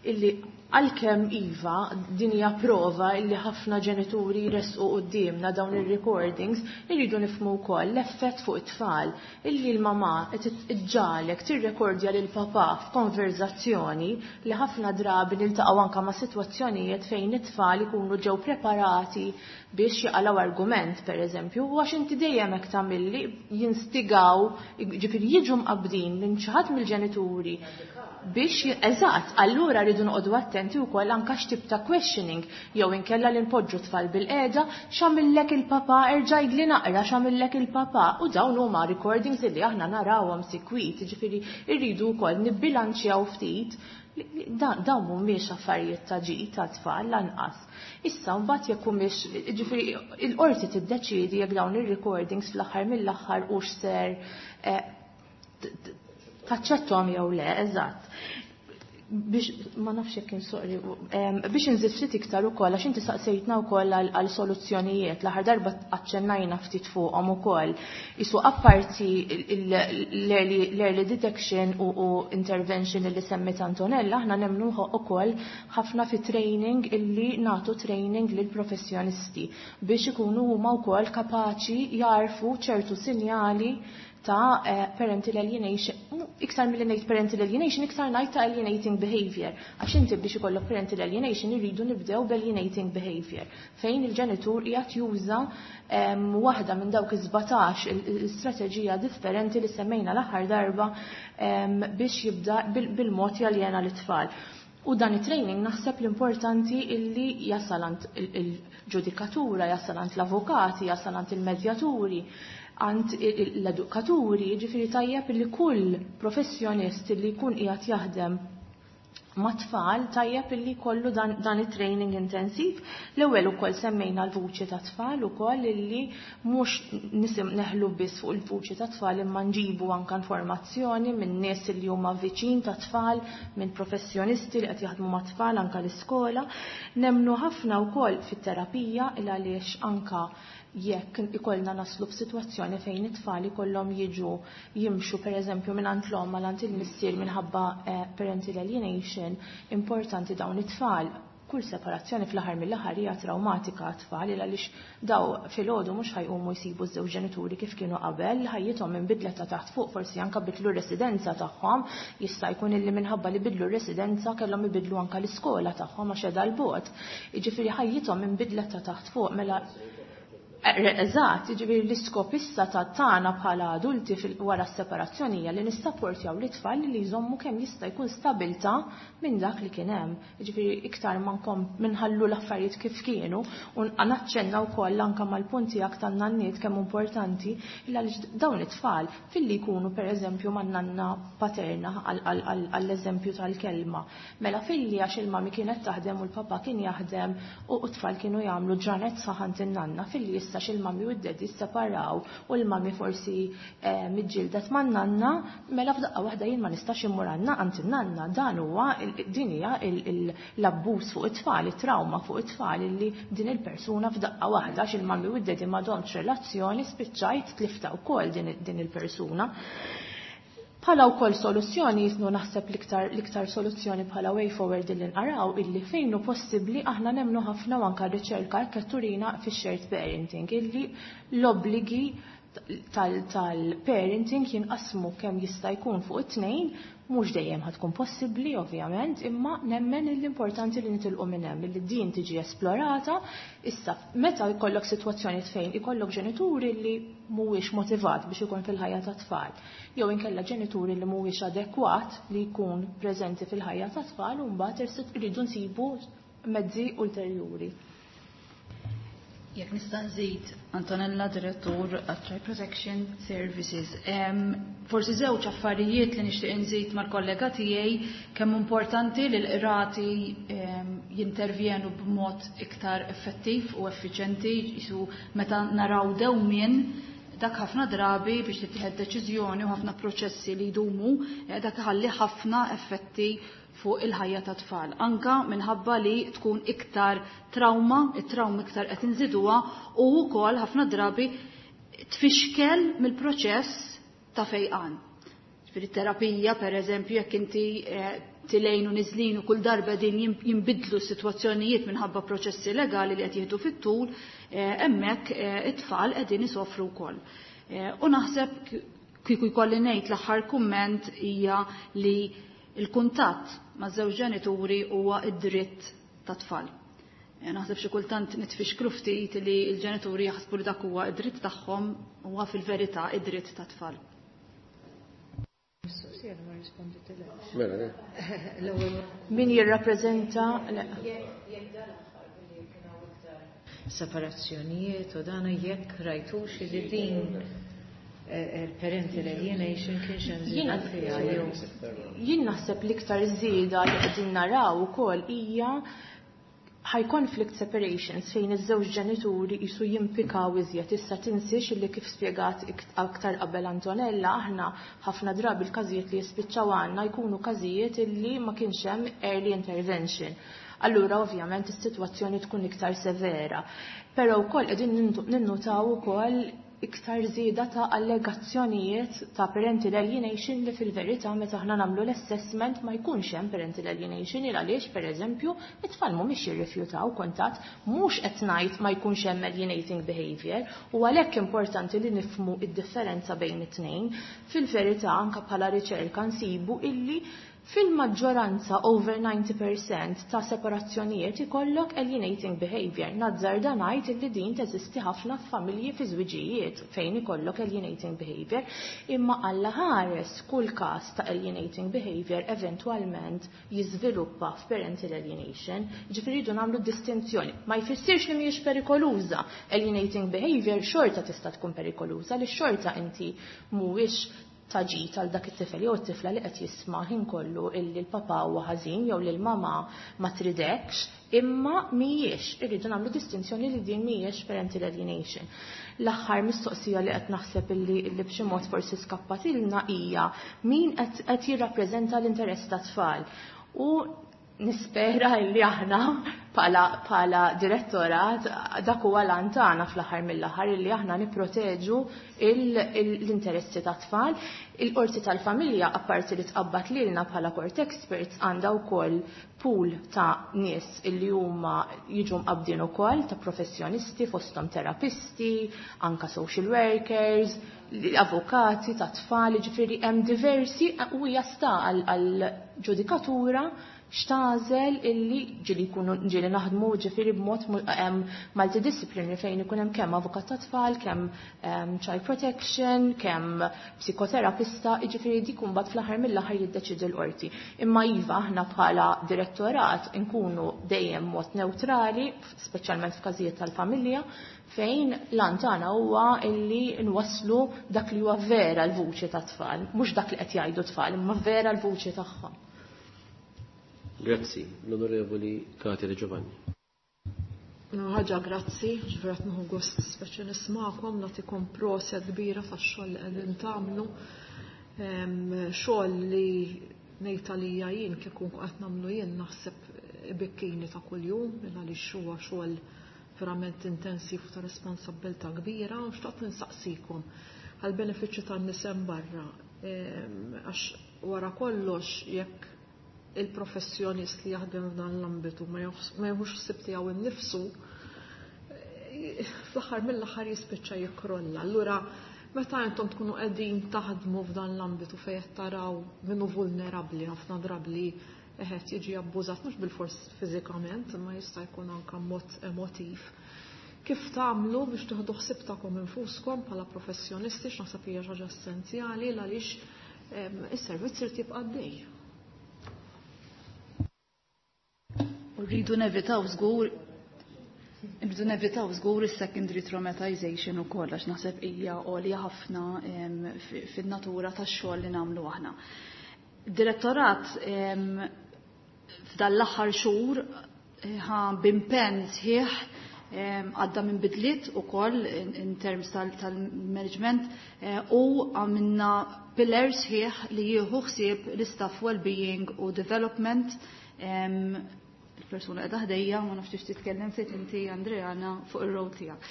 B: illi għalkemm iva din hija prova illi ħafna ġenituri jressqu quddiemna dawn ir-recordings, irridu nifhmu wkoll l-effett fuq it-tfal illi l-mamà qed iġġalek tirrekordja lil papà f'konverzazzjoni li ħafna drabi niltaqgħu anke ma' sitwazzjonijiet fejn it-tfal ikunu ġew preparati biex jaqalgħu argument, pereżempju, u għax inti dejjem hekk tagħmilli jinstigaw, ġifieri jiġu mqabbdin minn xi ħadd mill-ġenituri. Biex, eżatt, allura rridu noqogħdu attenti wkoll anke x'tip ta' questioning jew inkella li npoġġu tfal bil-qiegħda x'għamillek il-papa erġa' li naqra x'għamillek il-papa u dawn huma recordings li aħna narawhom sikwit, jiġifieri rridu wkoll nibbilanċjaw ftit dawn mhumiex affarijiet ta' ġid ta' tfal lanqas. Issa mbagħad jekk humiex, jiġifieri il-qorti tiddeċiedi jekk dawn ir-recordings fl-aħħar mill-aħħar hux ser taċċettom jew le, eżatt. Biex ma nafx jekk insoqri, biex inżid ftit iktar ukoll għax inti saqsejtna wkoll għal soluzzjonijiet, l-aħħar darba aċċennajna ftit fuqhom ukoll. Isu apparti l-early detection u intervention li semmit Antonella, aħna nemmnu ukoll ħafna fi training illi nagħtu training lil professjonisti biex ikunu huma wkoll kapaċi jarfu ċertu sinjali ta' parental alienation, iktar milli ngħid parental alienation, iktar ngħid ta' alienating behavior. Għax inti biex ikollok parental alienation irridu nibdew b'alienating behavior, fejn il-ġenitur qiegħed juża waħda minn dawk is-sbatax il-strateġija differenti li semmejna l-aħħar darba biex jibda bil-mod jaljena l-tfal. U dan it-training naħseb l-importanti illi jasal għand il-ġudikatura, jasal għand l-avukati, jasal għand il-medjaturi, għand l-edukaturi, ġifieri tajjeb li kull professjonist li jkun qiegħed jaħdem ma' tfal tajjeb illi kollu dan, dan it-training intensiv. L-ewwel ukoll semmejna l-vuċi ta' tfal ukoll illi mhux nisim neħlu biss fuq il-vuċi ta' tfal imma nġibu anke informazzjoni minn nies li huma viċin ta' tfal, minn professjonisti li qed jaħdmu ma' tfal anke l-iskola. Nemnu ħafna wkoll fit-terapija il għaliex anka jekk ikollna naslu f'sitwazzjoni fejn it-tfal ikollhom jiġu jimxu pereżempju minn għand l-omm għal għand il-missier minħabba parental alienation, importanti dawn it-tfal. Kull separazzjoni fl-aħħar mill-aħħar hija traumatika għat-tfal għaliex daw filgħodu mhux ħajqumu jsibu ż-żewġ ġenituri kif kienu qabel, ħajjithom inbidlet ta' taħt fuq, forsi anke bidlu r-residenza tagħhom, jista' jkun illi minħabba li bidlu r-residenza kellhom ibidlu anke l-iskola tagħhom għax qiegħda l-bogħod. Jiġifieri ħajjithom inbidlet ta' taħt fuq mela Eżatt, jiġifieri l-iskop issa ta' tagħna bħala adulti wara s-separazzjoni hija li nissapportjaw l-itfal li jżommu kemm jista' jkun stabilta minn dak li kien hemm. Jiġifieri iktar ma nkom minħallu l-affarijiet kif kienu u naċċenna wkoll anke mal-punti tiegħek tan-nanniet kemm importanti illa għaliex dawn it-tfal filli jkunu pereżempju man-nanna paterna għall-eżempju tal-kelma. Mela filli għax il-mami kienet taħdem u l-papa kien jaħdem u t-tfal kienu jagħmlu ġranet saħant in-nanna filli issa il-mami u d-daddy separaw u l-mami forsi miġġildet man nanna, mela f'daqqa waħda jien ma nistax immur għandna għand in-nanna. Dan huwa din hija l-abbuż fuq it-tfal, it-trauma fuq it-tfal illi din il-persuna f'daqqa waħda għax il-mami u d-daddy m'għadhomx relazzjoni spiċċajt tlifta wkoll din il-persuna. Bħala wkoll soluzzjoni jisnu naħseb l-iktar l-iktar soluzzjoni bħala way forward li nqaraw illi fejn hu possibbli aħna nemmnu ħafna u anke riċerka hekk turina fix-shared parenting illi l-obbligi tal-parenting jinqasmu kemm jista' jkun fuq it-tnejn, mhux dejjem ħad tkun possibbli ovvjament, imma nemmen l-importanti li nitilqu minn hemm li din tiġi esplorata. Issa meta jkollok sitwazzjoni fejn ikollok ġenituri li mhuwiex motivat biex ikun fil-ħajja ta' tfal, jew inkella ġenituri li mhuwiex adekwat li jkun preżenti fil-ħajja ta' tfal, u mbagħad irridu nsibu mezzi ulterjuri.
D: Jekk nista' nżid, Antonella, Direttur at Child Protection Services. Forsi żewġ affarijiet li nixtieq nżid mal-kollega tiegħi kemm importanti li l-qrati jintervjenu b'mod iktar effettiv u effiċenti, jisu meta naraw dewmien dak ħafna drabi biex tittieħed deċiżjoni u ħafna proċessi li jdumu, dak iħalli ħafna effetti fuq il-ħajja ta' tfal. Anka minħabba li tkun iktar trauma, it-trauma iktar qed inżiduha u wkoll ħafna drabi tfixkel mill-proċess ta' fejqan. Ġifieri terapija, per eżempju, jekk inti tilejn u niżlin u kull darba din jinbidlu s-sitwazzjonijiet minħabba proċessi legali li qed jieħdu fit-tul, hemmhekk it-tfal qegħdin isofru wkoll. U naħseb kieku jkolli ngħid l-aħħar kumment hija li il-kuntatt ma' żewġ ġenituri huwa id-dritt ta' tfal. Naħseb xi kultant nitfixklu ftit li l-ġenituri jaħsbu li dak huwa id-dritt tagħhom, huwa fil-verità id-dritt ta' tfal.
C: Mistoqsija li ma risponditilekx.
A: Mela, le.
C: L-ewwel
B: Min jirrappreżenta le.
C: Jekk dan l-aħħar billi kien hawn iktar separazzjonijiet u dana jekk rajtux li din eh, il-parental alienation kienx hemm żieda
B: Jiena-
C: fiha jew
B: Jien naħseb l-iktar żieda li qegħdin naraw ukoll hija high conflict separations fejn iż-żewġ ġenituri jisu jimpikaw iżjed. Issa tinsiex illi kif spjegat aktar qabel Antonella, aħna ħafna drabi l-każijiet li jispiċċaw għandna jkunu każijiet illi ma kienx hemm early intervention. Allura ovvjament is-sitwazzjoni tkun iktar severa. Però wkoll qegħdin ninnutaw ukoll iktar żieda ta' allegazzjonijiet ta' parental alienation li fil-verità meta aħna nagħmlu l-assessment ma jkunx hemm parental alienation il għaliex pereżempju it-tfal mhumiex jirrifjutaw kuntatt, mhux qed ngħid ma jkunx hemm alienating behavior, u għalhekk importanti li nifhmu id-differenza bejn it-tnejn. Fil-verità anke bħala riċerka nsibu illi fil-maġġoranza over ninety percent ta' separazzjonijiet ikollok alienating behavior. Nazzarda ngħid illi din teżisti ħafna f'familji fi żwiġijiet fejn ikollok alienating behavior, imma Alla ħares kull każ ta' alienating behavior eventwalment jiżviluppa f'parental alienation. Ġifieri rridu nagħmlu distinzjoni. Ma jfissirx li mhijiex perikoluża. Alienating behavior xorta tista' tkun perikoluża li xorta inti mhuwiex taġit għal dak it-tifel jew it-tifla li qed jisma' ħin kollu illi l-papà huwa ħażin jew li l-mamà ma tridekx, imma mhijiex, irridu nagħmlu distinzjoni li din mhijiex parental alienation. L-aħħar mistoqsija li qed naħseb illi, illi b'xi mod forsi skappatilna hija min qed, qed jirrappreżenta l-interess tat-tfal. U nispera illi aħna bħala, bħala direttorat dak huwa l-għan tagħna fl-aħħar mill-aħħar illi aħna nipproteġu il-, il-, l-interessi tat-tfal. Il-qorti tal-familja apparti li tqabbad lilna bħala court experts għandha wkoll pool ta' nies illi huma jiġu mqabbdin ukoll ta' professjonisti fosthom terapisti, anka social workers, avukati ta' tfal, ġifieri hemm diversi u hija sta għal-ġudikatura x'tagħżel illi ġieli jkunu ġieli naħdmu ġifieri b'mod mu-, em, multidisciplinary fejn ikun hemm kemm avukat ta' tfal, kemm, em, child protection, kemm psikoterapista, jiġifieri dik imbagħad fl-aħħar mill-aħħar jiddeċidi l-qorti. Imma iva aħna bħala direttorat nkunu dejjem mod neutrali, speċjalment f'każijiet tal-familja, fejn l-għan tagħna huwa illi nwasslu dak li huwa vera l-vuċi tat-tfal, mhux dak li qed jgħidu tfal, imma vera l-vuċi tagħhom.
A: Grazzi, l-Onorevoli Katia De Giovanni.
F: No, ħaġa grazzi, ġifieri qed nieħu gost speċi nismakom, nagħtikom proset kbira tax-xogħol li qegħdin tagħmlu. Em, xogħol li ngħid għalija jien kieku qed nagħmlu jien naħseb ibikkini ta' kuljum, għaliex huwa xogħol verament intensiv u ta' responsabbiltà kbira, u xtaqt nistaqsikom għall-benefiċċju tan-nies hemm barra. Em, għax wara kollox jekk il-professjonist li jaħdem f'dan l-ambitu ma joħs-, ma jieħux ħsieb tiegħu innifsu, eh, fl-aħħar mill-aħħar jispiċċa jikkrolla. Allura meta intom tkunu qegħdin taħdmu f'dan l-ambitu fejn qed taraw min hu vulnerabbli ħafna drabi qed jiġi abbużat mhux bilfors fiżikament, imma jista' jkun anke mod emotiv. Kif tagħmlu biex tieħdu ħsieb tagħkom infuskom bħala professjonisti, x'naħseb hija xi ħaġa essenzjali għaliex, em, is-servizz irid jibqa' għaddej.
D: U rridu nevitaw żgur, rridu nevitaw żgur is-secondary traumatization ukoll għax naħseb hija għolja ħafna, em, fi-, fin-natura tax-xogħol li nagħmlu aħna. Direttorat, em, f'dan l-aħħar xhur, eh, ħa b'impenn sħiħ, em, għadda minn bidliet ukoll in, in terms tal-, tal-management, eh, u għamilna pillar sħiħ li jieħu ħsieb l-istaff well-being u development. Em, il-persuna qiegħda ħdejja, ma nafx tix titkellem ftit inti Andreana fuq ir-rol tiegħek.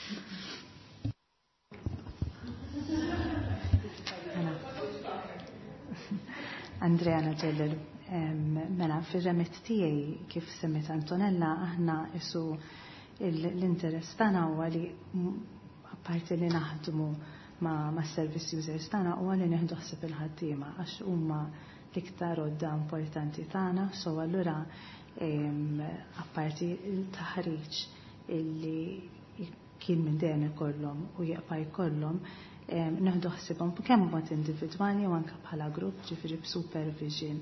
G: Mela. Andreana Ġellel, em, mela fir-remit tiegħi kif semmet Antonella aħna isu il-, l-interess tagħna huwa li m-, apparti li naħdmu ma', ma' service users tagħna huwa li nieħdu ħsieb il-ħaddiema għax huma l-iktar għodda importanti tagħna, so allura em, apparti il-taħriġ illi kien minn dejjem ikollhom u jibqa' jkollhom, Nieħdu ħsiebhom kemm mod individwali u anke bħala grupp, ġifieri b'supervision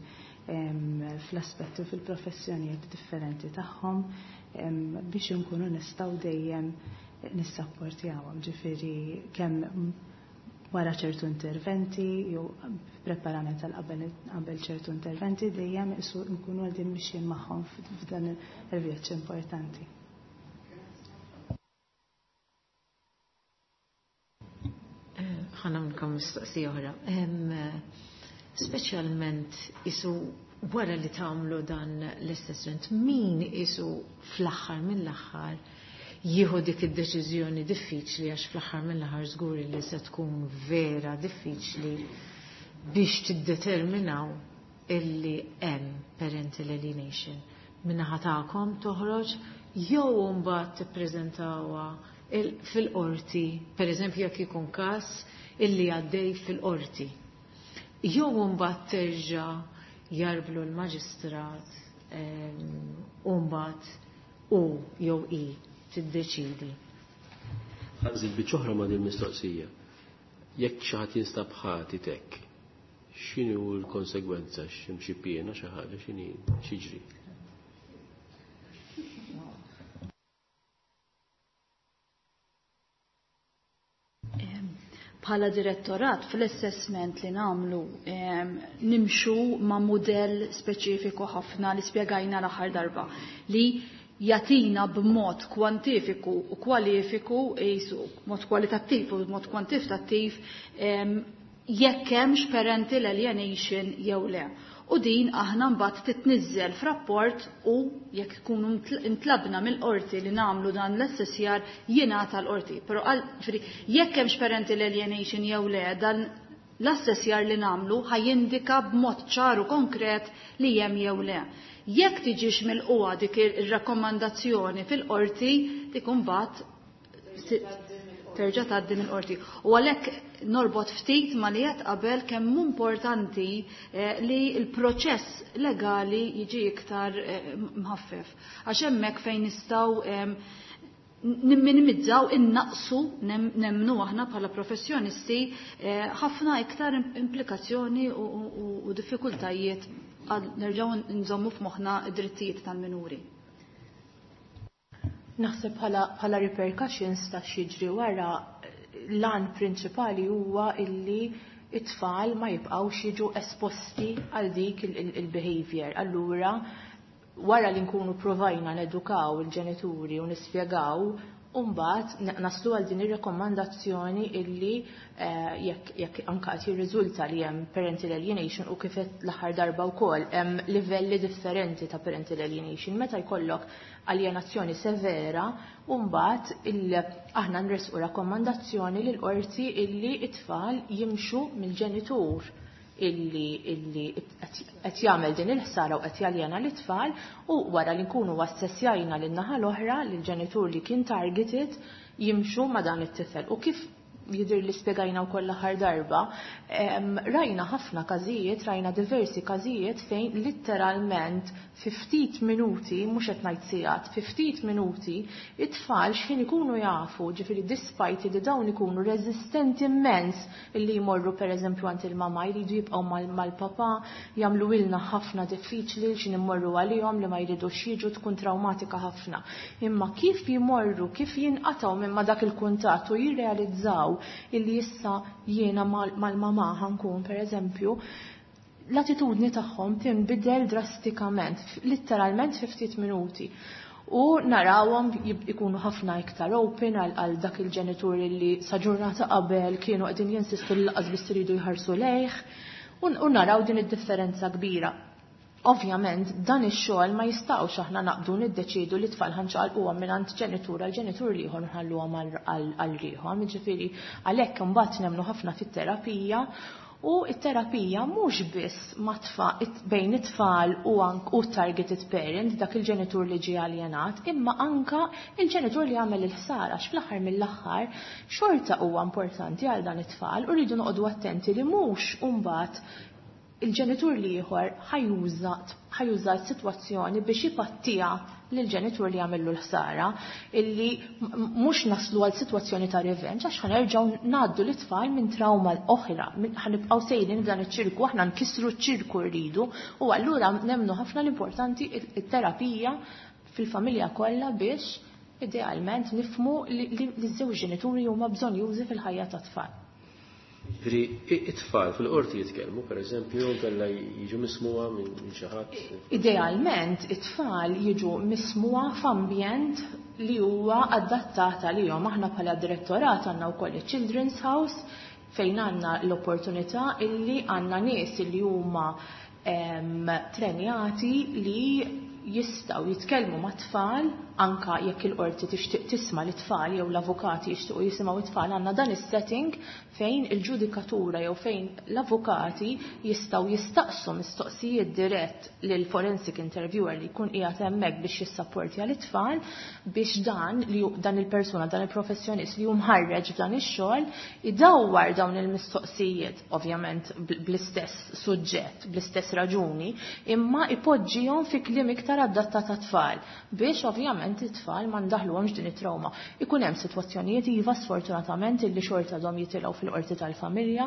G: fl-aspetti u fil-professjonijiet differenti tagħhom biex inkunu nistgħu dejjem nissapportjawhom, ġifieri kemm wara ċertu interventi jew preparament għal qabel ċertu interventi dejjem isu nkunu għadin mixjin magħhom f'dan il-vjaġġ importanti.
C: Ħa nagħmlilkom mistoqsija oħra. Speċjalment isu wara li tagħmlu dan l-assessment, min isu fl-aħħar mill-aħħar jieħu dik id-deċiżjoni diffiċli, għax fl-aħħar mill-aħħar żgur li se tkun vera diffiċli biex tiddeterminaw illi hemm parental alienation. Min-naħa tagħkom toħroġ jew mbagħad tippreżentawha fil-qorti, per eżempju jekk ikun każ illi għaddej fil-qorti. Jew mbagħad terġa' jarblu l-maġistrat u mbagħad u jew i tiddeċidi.
A: Ħa nżid biċċa oħra ma' din mistoqsija. Jekk xi ħadd jinstab ħati tek, x'inhu l-konsegwenza, x'hemm xi piena xi ħaġa, x'inhi x'jiġri?
D: Bħala direttorat fl-assessment li namlu nimxu ma' modell speċifiku ħafna li spjegajna l-aħħar darba li jatina b'mod kwantifiku u kwalifiku, jisu, mod kwalitattiv u mod kwantitattiv jekk hemmx parental alienation jew le. U din aħna mbagħad titniżżel f'rapport u jekk ikunu intlabna mill-qorti li nagħmlu dan l-assessjar jingħata l-qorti. Però ġifieri jekk hemmx parental alienation jew le, dan l-assessjar li nagħmlu ħajindika b'mod ċar u konkret li hemm jew le. Jekk tiġix mill-qwa dik ir-rakkomandazzjoni fil-qorti, dik imbagħad terġa' tgħaddi mill-qorti. U għalhekk norbot ftit ma li qed qabel kemm importanti li l-proċess legali jiġi iktar mħaffef. Għax hemmhekk fejn nistgħu nimminimizzaw, innaqsu, nemmnu aħna bħala professjonisti ħafna iktar implikazzjoni u diffikultajiet nerġgħu nżommu f'moħħna d-drittijiet tal-minuri.
B: Naħseb bħala repercussions ta' x'jiġri wara, l-għan prinċipali huwa illi it-tfal ma jibqgħux jiġu esposti għal dik il-behavior. Allura, wara li nkunu provajna nedukaw il-ġenituri u nispjegaw, mbagħad naslu għal din ir-rekomandazzjoni illi jekk jekk anke qed jirriżulta li hemm parental alienation u kif l-aħħar darba wkoll hemm livelli differenti ta' parental alienation. Meta jkollok alienazzjoni severa, u mbagħad aħna nresqu rakkomandazzjoni lil qorti illi it-tfal jimxu mill-ġenitur illi illi qed jagħmel din il-ħsara u qed jaljena l-itfal, u wara li nkunu assessjajna lin-naħa l-oħra lill-ġenitur li kien targeted jimxu ma' dan it-tifel. U kif jidher li spjegajna wkoll l-aħħar darba, rajna ħafna każijiet, rajna diversi każijiet fejn litteralment fi ftit minuti, mhux qed ngħid sigħat, fi ftit minuti it-tfal x'ħin ikunu jafu, ġifieri despite li dawn ikunu reżistenti immens illi jmorru pereżempju għand il-mama, jridu jibqgħu mal-papa, jagħmlu ilna ħafna diffiċli x'in immorru għalihom li ma jridux jiġu, tkun traumatika ħafna. Imma kif jmorru, kif jinqatgħu minn ma dak il-kuntatt u jirrealizzaw illi issa jiena mal-mama ħankun pereżempju, l-attitudni tagħhom tinbidel drastikament, litteralment fi ftit minuti. U narawhom ikunu ħafna iktar open għal dak il-ġenitur li sa ġurnata qabel kienu qegħdin jinsistu li laqas biss iridu jħarsu lejh, u naraw din id-differenza kbira. Ovvjament, dan ix-xogħol ma jistgħux aħna naqbdu niddeċidu li tfal ħanċaqalquhom mingħand ġenitur għal ġenitur ieħor nħalluhom għal rieħhom. Jiġifieri għalhekk imbagħad nemmnu ħafna fit-terapija, u t-terapija mhux biss ma' bejn it-tfal u u targeted parent, dak il-ġenitur li ġie aljenat, imma anka il-ġenitur li għamel il-ħsara, għax fl-aħħar mill-aħħar xorta huwa importanti għal dan it-tfal, u rridu noqogħdu attenti li mhux imbagħad il-ġenitur l-ieħor ħa juża ħa juża s-sitwazzjoni biex ipattiha lill-ġenitur li għamillu l-ħsara, illi mhux naslu għal sitwazzjoni ta' revenge, għax ħa nerġgħu ngħaddu l-itfal minn trauma oħra, ħa nibqgħu sejrin f'dan iċ-ċirku, aħna nkissru ċ-ċirku rridu, u allura nemmnu ħafna l-importanti it-terapija fil-familja kollha biex idealment nifhmu li ż-żewġ ġenituri huma bżonnjużi fil-ħajja tat-tfal.
A: Ġifieri it-tfal fil-qorti jitkellmu, per eżempju, kella jiġu mismugħa minn xi ħadd.
B: Idealment it-tfal jiġu mismugħa f'ambjent li huwa adattat għalihom. Aħna bħala direttorat għandna wkoll il-Children's House fejn għandna l-opportunità illi għandna nies illi huma trenjati li jistgħu jitkellmu mat-tfal, anka jekk il-qorti tixtieq tisma' l-tfal jew l-avukati jixtiequ jisimgħu it-tfal, għandna dan is-setting fejn il-ġudikatura jew fejn l-avukati jistgħu jistaqsu mistoqsijiet dirett lil forensic interviewer li jkun qiegħed hemmhekk biex jissapportja l-tfal, biex dan li dan il-persuna, dan il-professjonist li hu mħarreġ f'dan ix-xogħol idawwar dawn il-mistoqsijiet, ovvjament bl-istess suġġett, bl-istess raġuni, imma ipoġġihom fi kliem iktar adattat tat-tfal biex ovvjament it-tfal ma ndaħluhomx din it-trauma. Ikun hemm sitwazzjonijiet iva sfortunatament illi xorta għadhom jitilgħu fil-qorti tal-familja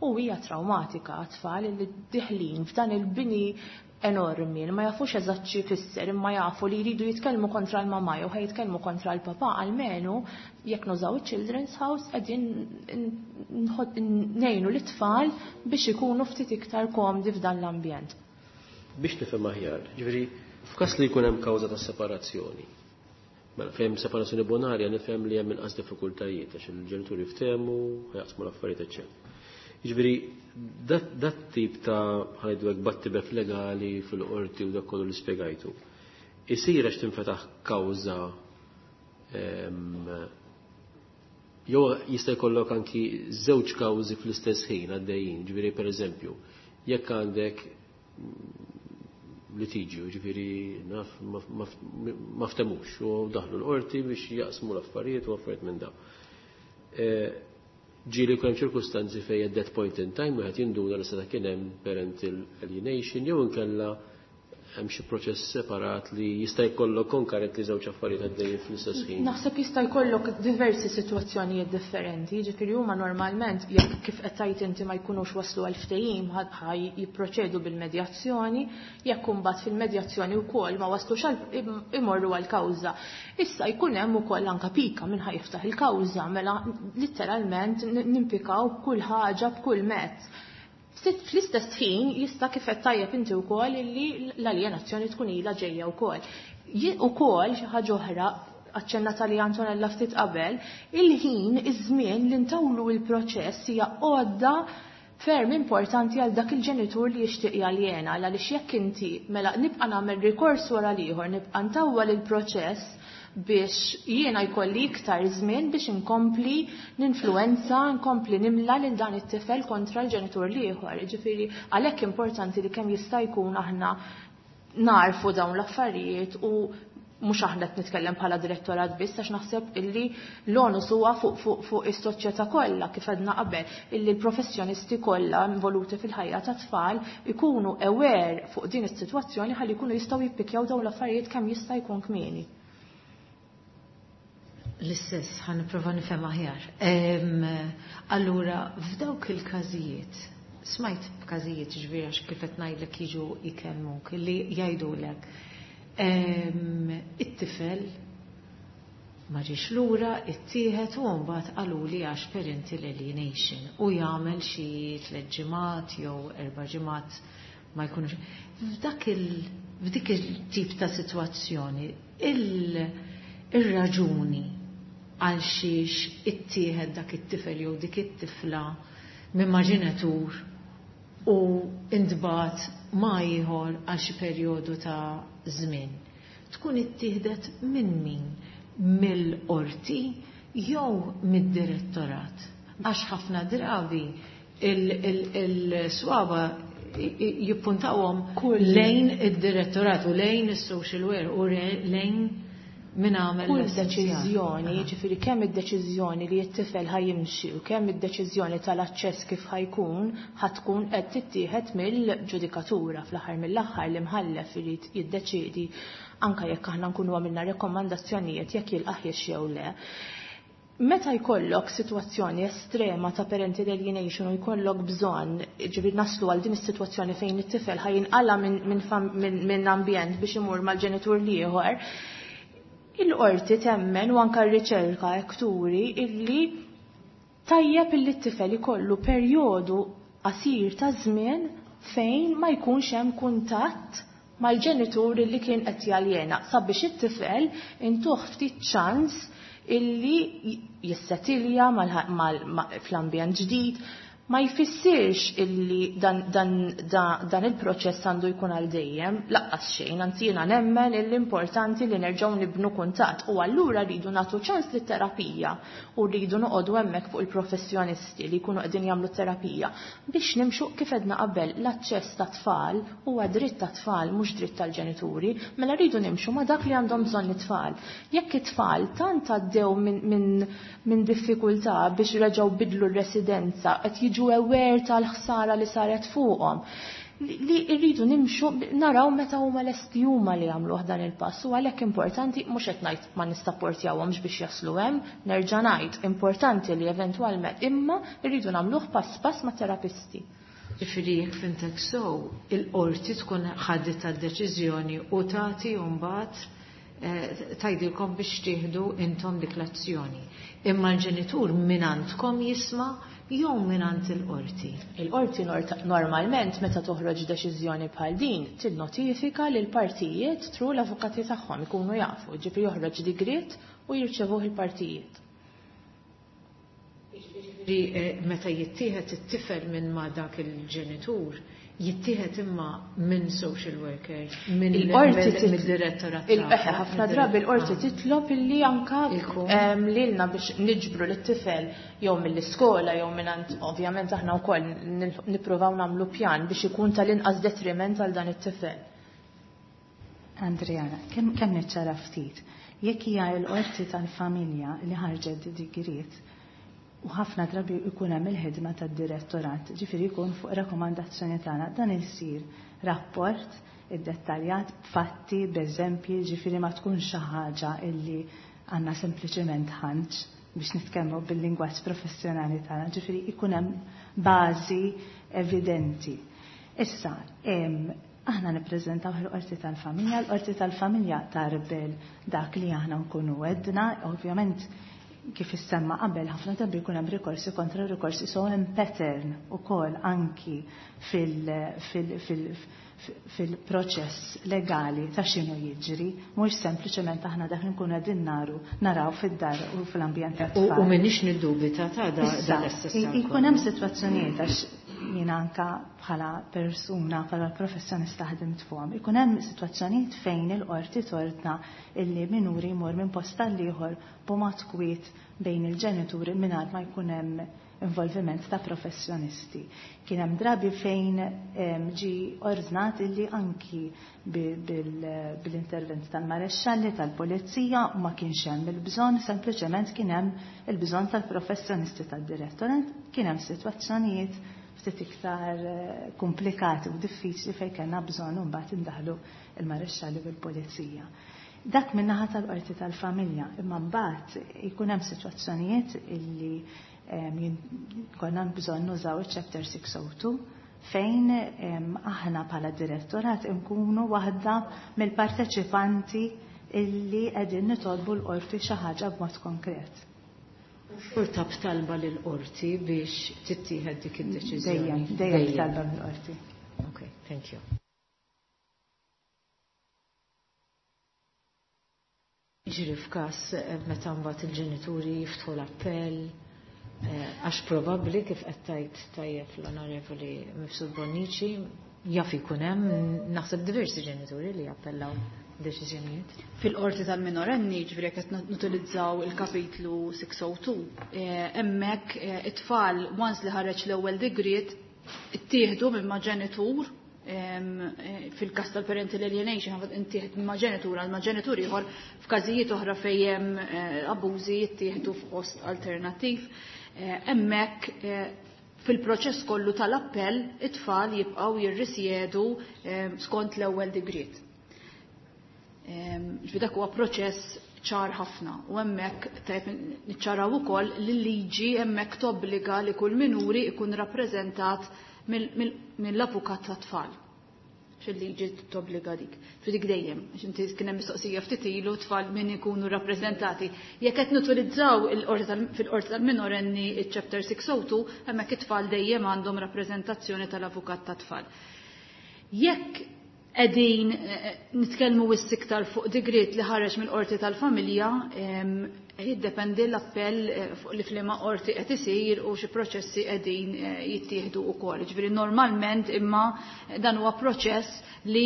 B: u hija traumatika għat-tfal illi diħlin f'dan il-bini enormi li ma jafux eżatt xi jfisser, imma jafu li jridu jitkellmu kontra l-mamà jew ħa jitkellmu kontra l-papà, almenu jekk nużaw il-Children's House qegħdin ngħinu lit-tfal biex ikunu ftit iktar komdi f'dan l-ambjent.
A: Biex nifhem aħjar, ġifieri f'każ li jkun hemm kawża ta' separazzjoni, mela fejn separazzjoni bonarja nifhem li hemm inqas diffikultajiet għax il-ġenituri ftehmu, jaqsmu l-affarijiet, eċċetera. Jiġifieri dat tip ta' ħa ngħidu hekk battibek legali fil-qorti u dak kollu li spjegajtu, isir għax tinfetaħ kawża jew jista' jkollok anki żewġ kawżi fl-istess ħin għaddejjin, ġifieri pereżempju, jekk għandek litiġju, ġifieri naf ma ftemux u daħlu l-qorti biex jaqsmu l-affarijiet u affarijiet minn dawn. Ġieli jkun hemm ċirkustanzi fejn at that point in time wieħed jinduna li seta' kien hemm parental alienation jew inkella hemm xi proċess separat li jista' jkollok konkarent li żewġ affarijiet għaddejjin fl-istess ħin.
B: Naħseb jista' jkollok diversi sitwazzjonijiet differenti, jiġifieri huma normalment jekk kif qed tgħid inti ma jkunux waslu għal ftehim ħaj jipproċedu bil-medjazzjoni, jekk imbagħad fil-medjazzjoni wkoll ma waslux għal imorru għal kawża. Issa jkun hemm ukoll anke pika minn ħa jiftaħ il-kawża, mela litteralment nimpikaw b'kull ħaġa b'kull mezz. Fl-istess ħin jista' kif qed tajjeb inti wkoll illi l-aljenazzjoni tkun ilha ġejja wkoll. Ukoll xi ħaġa oħra aċċennata li Antonella ftit qabel, il-ħin, iż-żmien li ntawlu il-proċess hija għodda ferm importanti għal dak il-ġenitur li jixtieq jaljena, għaliex jekk inti mela nibqa' nagħmel rikors wara l-ieħor, nibqa' ntawwal il-proċess biex jiena jkolli iktar żmien biex inkompli ninfluwenza, nkompli nimla lil dan it-tifel kontra l-ġenitur l-ieħor. Ġifieri għalhekk importanti li kemm jista' jkun aħna narfu dawn l-affarijiet u mhux aħna qed nitkellem bħala direttorat biss, għax naħseb illi l-onus huwa fuq fuq fuq is-soċjetà kollha kif għedna qabel, illi l-professjonisti kollha involuti fil-ħajja ta' tfal ikunu aware fuq din is-sitwazzjoni ħalli jkunu jistgħu jippikjaw dawn l-affarijiet kemm jista' jkun kmieni.
C: L-istess, ħa nipprova nifhem aħjar. Allura, f'dawk il-każijiet, smajt b'każijiet ġifieri għax kif qed ngħidlek jiġu jkellmuk, li jgħidulek it-tifel ma ġiex lura, ittieħed u mbagħad qaluli għax parental alienation u jagħmel xi tliet ġimgħat jew erba' ġimgħat ma jkunux. F'dak il f'dik il-tip ta' sitwazzjoni, il-raġuni għal xiex ittieħed dak it-tifel jew dik it-tifla minn ma' ġenitur u intbagħat ma' ieħor għal xi perjodu ta' żmien. Tkun ittieħdet minn min? Mill-qorti jew mid-direttorat? Għax ħafna drabi il-swaba jippuntawhom lejn id-direttorat u lejn is-social worker u lejn Min għamel
B: Kull
C: l-essenzjali.
B: deċiżjoni, ġifieri kemm id-deċiżjoni li t-tifel ħa jimxi u kemm id-deċiżjoni tal-aċċess kif ħa jkun, ħa tkun qed tittieħed mill-ġudikatura. Fl-aħħar mill-aħħar l-imħallef irid jiddeċiedi anke jekk aħna nkunu għamilna rekomandazzjonijiet jekk jilqaħiex jew le. Meta jkollok sitwazzjoni estrema ta' parental alienation u jkollok bżonn, ġifieri naslu għal din is-sitwazzjoni fejn it-tifel ħa jinqala minn min, min, min ambjent biex imur mal-ġenitur l-ieħor, il-qorti temmen u anka r-riċerka hekk turi illi tajjeb illi t-tifel ikollu perjodu qasir ta' żmien fejn ma jkunx hemm kuntatt mal-ġenitur illi kien qed jaljena sabiex it-tifel intuh ftit ċans illi jissetilja fl-ambjent ġdid. Ma jfissirx illi dan, dan, dan, dan il-proċess għandu jkun għal dejjem, laqqas xejn, anzi jiena nemmen illi importanti li nerġgħu nibnu kuntatt u allura rridu nagħtu ċans lit-terapija u rridu noqogħdu hemmhekk fuq il-professjonisti li jkunu qegħdin jagħmlu terapija biex nimxu kif edna qabel l-aċċess ta' tfal huwa dritt ta' tfal mhux dritt tal-ġenituri, mela rridu nimxu ma' dak li għandhom bżonn it-tfal. Jekk it-tfal tant għaddew minn min, min diffikultà biex reġgħu bidlu r-residenza, qed jiġu aware tal-ħsara li saret fuqhom, li rridu nimxu naraw meta huma lesti huma li jagħmluh dan il-pass u għalhekk importanti mhux qed ngħid ma nistapportjawhomx biex jaslu hemm, nerġa' ngħid importanti li eventwalment imma rridu nagħmluh pass pass ma' terapisti.
C: Ġifieri jekk fimtek sew, il-qorti tkun ħadet d-deċiżjoni u tagħti mbagħad tgħidilkom biex tieħdu intom dik l-azzjoni. Imma l-ġenitur minn għandkom jisma' jew mingħand il-qorti?
B: Il-qorti normalment meta toħroġ deċiżjoni bħal din tinnotifika lil partijiet tru l-avukati tagħhom ikunu jafu, ġifieri joħroġ digriet u jirċevuh il-partijiet.
C: Ġifieri meta jittieħed it-tifel minn ma' dak il-ġenitur, jittieħed imma minn social worker, minn mid-direttorat.
B: Il-eħe, ħafna drabi l-qorti titlob illi anka lilna biex niġbru lit-tifel jew mill-iskola jew minn ovvjament aħna wkoll nippruvaw nagħmlu pjan biex ikun tal-inqas detriment għal dan it-tifel.
G: Andriana, kemm kemm niċċara ftit, jekk hija l-qorti tal-familja li ħarġet digriet, u ħafna drabi jkun hemm il-ħidma tad-direttorat, ġifieri jkun fuq rakkomandazzjoni tagħna, dan isir rapport iddettaljat b'fatti, b'eżempji, ġifieri ma tkunx xi ħaġa illi għandna sempliċement ħanċ biex nitkellmu bil-lingwaġġ professjonali tagħna, ġifieri jkun hemm bażi evidenti. Issa, aħna nippreżentaw il-qorti tal-familja, l-qorti tal-familja tarbel dak li aħna nkunu għedna, ovvjament kif issemma qabel ħafna drabi jkun hemm rikorsi kontra rikorsi, so hemm pattern ukoll anki fil-proċess legali ta' x'inhu jiġri, mhux sempliċement aħna dak li nkunu qegħdin naru naraw fid-dar u fl-ambjent tat-tfal.
C: U m'iniex niddubita ta' dan.
G: Ikun hemm sitwazzjonijiet għax jiena anka bħala persuna, bħala professjonista ħdimt fuqhom, ikun hemm sitwazzjonijiet fejn il-qorti tordna illi minuri jmur minn post għall-ieħor b'mod kwiet bejn il-ġenituri mingħajr ma jkun hemm involviment ta' professjonisti. Kien hemm drabi fejn ġi ordnat illi anki bil-intervent tal-marexxalli tal-pulizija ma kienx hemm il-bżonn, sempliċement kien hemm il-bżonn tal-professjonisti tad-direttorat, kien hemm sitwazzjonijiet ftit iktar komplikati u diffiċli fejn kellna bżonn mbagħad indaħlu il-marexxalli bil-pulizija. Dak min-naħa tal-qorti tal-familja, imma mbagħad jkun hemm sitwazzjonijiet illi konna bżonn nużaw il-chapter six oh two fejn aħna bħala direttorat nkunu waħda mill-parteċipanti illi qegħdin nitolbu l-qorti xi ħaġa b'mod konkret.
C: Xorta b'talba lill-qorti biex tittieħed dik id-deċiżjoni.
G: Dejjem, dejjem b'talba mill-qorti.
C: Okay, thank you. Ġiri f'każ meta mbagħad il-ġenituri jiftħu l-appell, għax probabbli kif qed tgħid tajjeb l-Onorevoli Mifsud Bonnici, jaf ikun hemm naħseb diversi ġenituri li jappellaw deċiżjonijiet.
D: Fil-qorti tal-minorenni, ġifieri qed nutilizzaw il-kapitlu six oh two, hemmhekk it-tfal once li ħareġ l-ewwel digriet ittieħdu minn ma' ġenitur Fil-każ tal-parental alienation intieħed ma' ġenitur għal ma' ġenitur ieħor, f'każijiet oħra fejn hemm abbużi jittieħdu f'post alternattiv. Hemmhekk fil-proċess kollu tal-appell it-tfal jibqgħu jirrisjedu skont l-ewwel digriet. Ġifieri dak huwa proċess ċar ħafna u hemmhekk tajjeb niċċaraw ukoll li l-liġi hemmhekk tobbliga li kull minuri ikun rappreżentat mill-avukat tat-tfal. Xil-liġi tobbliga dik. Fi dik dejjem, għax inti kien hemm mistoqsija ftit ilu tfal min ikunu rappreżentati. Jekk qed nutilizzaw fil-qorti tal-minorenni iċ-chapter six oh two, hemmhekk it-tfal dejjem għandhom rappreżentazzjoni tal-avukat tat-tfal. Jekk qegħdin nitkellmu wisq iktar fuq digriet li ħareġ mill-qorti tal-familja, jiddependi l-appell fuq li f'liema qorti qed isir u xi proċessi qegħdin jittieħdu wkoll. Ġifieri normalment imma dan huwa proċess li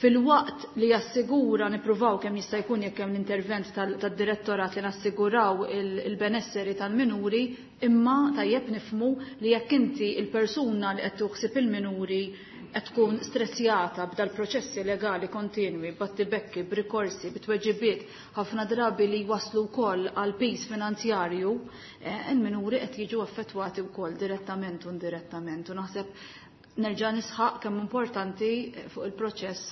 D: fil-waqt li jassigura nippruvaw kemm jista' jkun jekk hemm l-intervent tad-direttorat li nassiguraw il-benesseri tal-minuri, imma tajjeb nifhmu li jekk inti il-persuna li qed tuħsib il-minuri qed tkun stressjata b'dal-proċessi legali kontinwi, battibekki, b'rikorsi, b'tweġibiet, ħafna drabi li waslu wkoll għal piż finanzjarju, il-minuri qed jiġu affettwati wkoll direttament u indirettament. U naħseb nerġa' nisħaq kemm importanti fuq il-proċess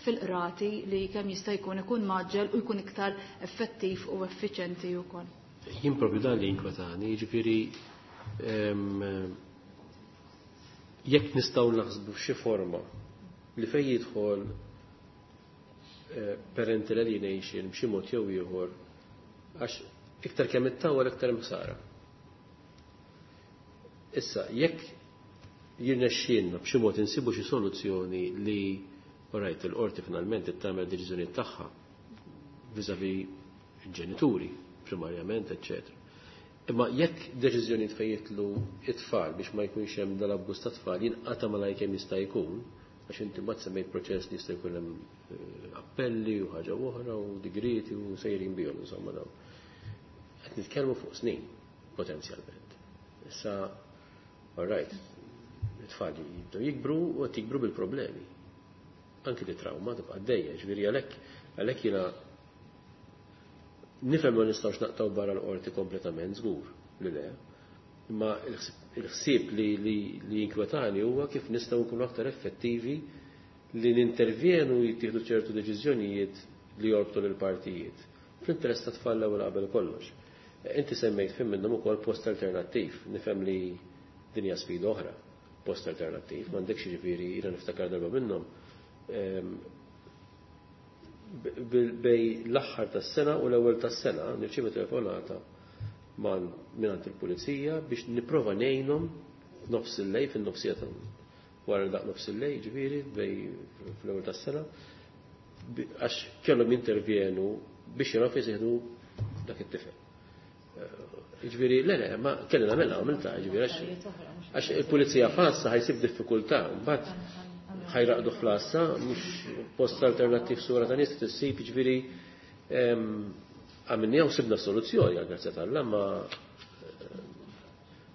D: fil-qrati li kemm jista' jkun ikun maġġel u jkun iktar effettiv u effiċenti wkoll.
A: Jien propju dan li jinkwetani, jiġifieri jekk nistgħu naħsbu f'xi forma li fejn jidħol parental alienation b'xi mod jew ieħor, għax iktar kemm ittawwal iktar ħsara. Issa, jekk jirnexxielna b'xi mod insibu xi soluzzjoni li rajt il-qorti finalment tagħmel deċiżjoni tagħha vis-à-vis il-ġenituri primarjament, eċċetera. Imma jekk deċiżjoni fejn jitlu it-tfal biex ma jkunx hemm dal-abbuż ta' tfal jinqata' malajr kemm jista' jkun, għax inti mbagħad semmejt proċess li jista' jkun hemm appelli u ħaġa oħra u digrieti u sejrin bihom insomma dawn. Qed nitkellmu fuq snin potenzjalment. Issa, all right, it-tfal jibdew jikbru u qed jikbru bil-problemi. Anki li trauma tibqa' għaddejja, ġifieri għalhekk għalhekk jiena nifhem ma nistgħux naqtaw barra l-qorti kompletament, żgur li le. Imma il-ħsieb li li jinkwetani huwa kif nistgħu nkunu aktar effettivi li nintervjenu jittieħdu ċertu deċiżjonijiet li jorbtu lill partijiet. Fl-interess ta' tfal l-ewwel qabel kollox. Inti semmejt fim minnhom ukoll post alternattiv, nifhem li din hija sfida oħra, post alternattiv, m'għandekx jiġifieri jiena niftakar darba minnhom bej l-aħħar tas-sena u l-ewwel tas-sena nirċievu telefonata mingħand il-pulizija biex nipprova ngħinhom f'nofs il-lejl, fin-nofsija ta' wara daq nofs il-lejl, ġifieri bej fl-ewwel tas-sena, għax kellhom jintervjenu biex jaraw fejn seħdu dak it-tifel. Ġifieri le le, ma kelli nagħmilha għamiltha, ġifieri għax il-pulizija fassa ħajsib diffikultà, mbagħad ħajraqdu fl-assa, mhux post alternattiv sura ta' nies tissib, ġifieri għamilniha u sibna soluzzjoni għal grazzja tal-Alla, ma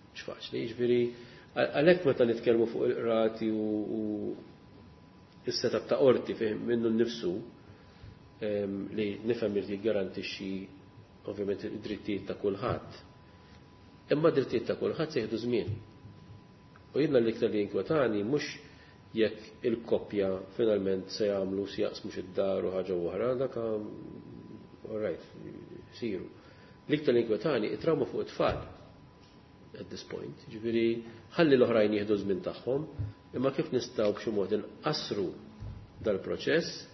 A: mhux faċli, ġifieri għalhekk meta nitkellmu fuq il-qrati u s-setup ta' qorti fih minnu nnifsu li nifhem irid jiggarantixxi ovvjament id-drittijiet ta' kulħadd. Imma d-drittijiet ta' kulħadd se jieħdu żmien. U jiena l-iktar li jinkwetani mhux jekk il-koppja finalment se jagħmlu se jaqsmu xi dar u ħaġa oħra, dak all right, siru. L-iktar li jinkwetani it-trauma fuq it-tfal at this point. Ġifieri ħalli l-oħrajn jieħdu żmien tagħhom, imma kif nistgħu b'xi mod inqassru dal-proċess,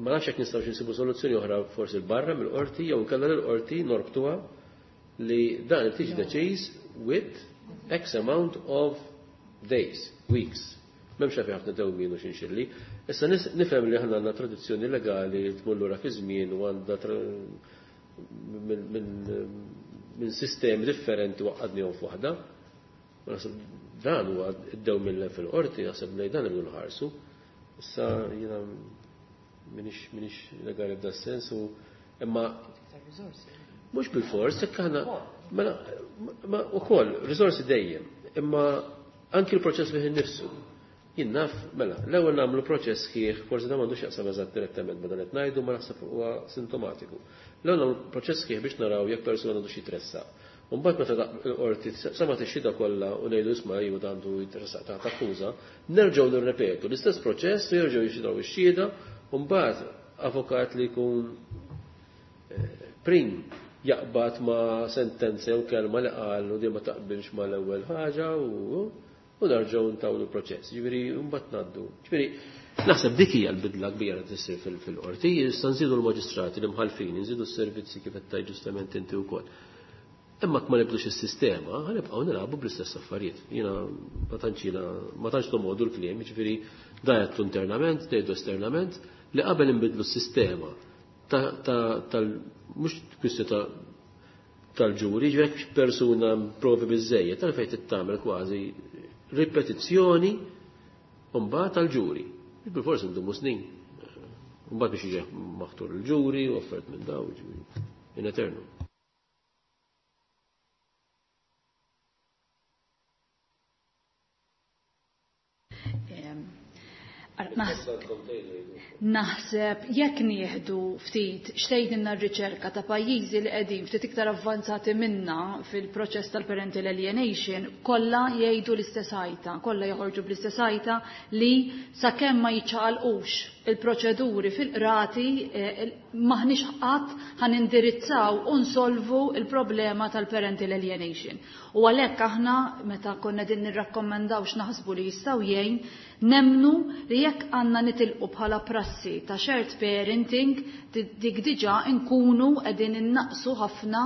A: ma nafx jekk nistgħux insibu soluzzjoni oħra forsi l-barra mill-qorti jew inkella l-qorti norbtuha li dan tiġi deċiż with X amount of days, weeks. M'hemmx għalfejn ħafna dewmien u xinxilli. Issa nifhem li aħna għandna tradizzjoni legali li tmur lura fi żmien u għandha minn sistemi differenti waqqadnihom f'waħda. Ma naħseb dan huwa id-dewmien fil-qorti, naħseb li dan irridu nħarsu. Issa jiena minix minix legali f'da sens u imma mhux bil-fors, jekk aħna mela ma ukoll riżorsi dejjem, imma Anki l-proċess fih innifsu. Jien naf, mela, l-ewwel nagħmlu proċess sħiħ, forsi dan m'għandux jaqsam eżatt direttament ma dan qed ngħidu, ma naħseb huwa sintomatiku. L-ewwel nagħmlu proċess sħiħ biex naraw jekk persuna għandu xi tressaq. U mbagħad meta l-qorti semgħet ix-xhieda kollha u ngħidu isma' jew għandu jitressaq taħt akkuża, nerġgħu nirrepetu l-istess proċess u jerġgħu jixhidaw ix-xhieda u mbagħad avukat li jkun prim jaqbad ma' sentenza jew kelma li qal u di ma taqbilx mal-ewwel ħaġa u u nerġgħu ntawlu l-proċess. Ġifieri mbagħad ngħaddu. Ġifieri naħseb dik hija l-bidla kbira li tissir fil-qorti, issa nżidu l-maġistrati, l-imħallfin, nżidu s-servizzi kif qed tgħid ġustament inti wkoll. Imma ma nibdlux is-sistema, ħanibqgħu nilagħbu bl-istess affarijiet. Jiena ma tantx jiena ma tantx nomodu l-kliem, jiġifieri da internament, ngħidu esternament, li qabel inbidlu s-sistema tal mhux kwistjoni ta' tal-ġuri, ġifieri jekk persuna provi biżejjed, tal-fejn tittamel kważi ripetizzjoni mbagħad tal-ġuri. Bil-forsi ndumu snin. Mbagħad biex jiġi maħtur il-ġuri u offert minn daw, ġifieri in eternu.
D: Naħseb jekk nieħdu ftit xtejtinna r-riċerka ta' pajjiżi li qegħdin ftit iktar avvanzati minna fil-proċess tal-parental alienation, kollha jgħidu l-istess ħajta, kollha joħorġu bl-istess ħajta li sakemm ma jiċċaqalqux il-proċeduri fil-qrati maħniex qatt ħanindirizzaw u nsolvu il-problema tal-parental alienation. U għalhekk aħna meta konna din nirrakkomandaw x'naħsbu li jistgħu jgħin, nemnu li jekk għandna nitilqu bħala prassi ta' shared parenting, dik diġà nkunu qegħdin innaqsu ħafna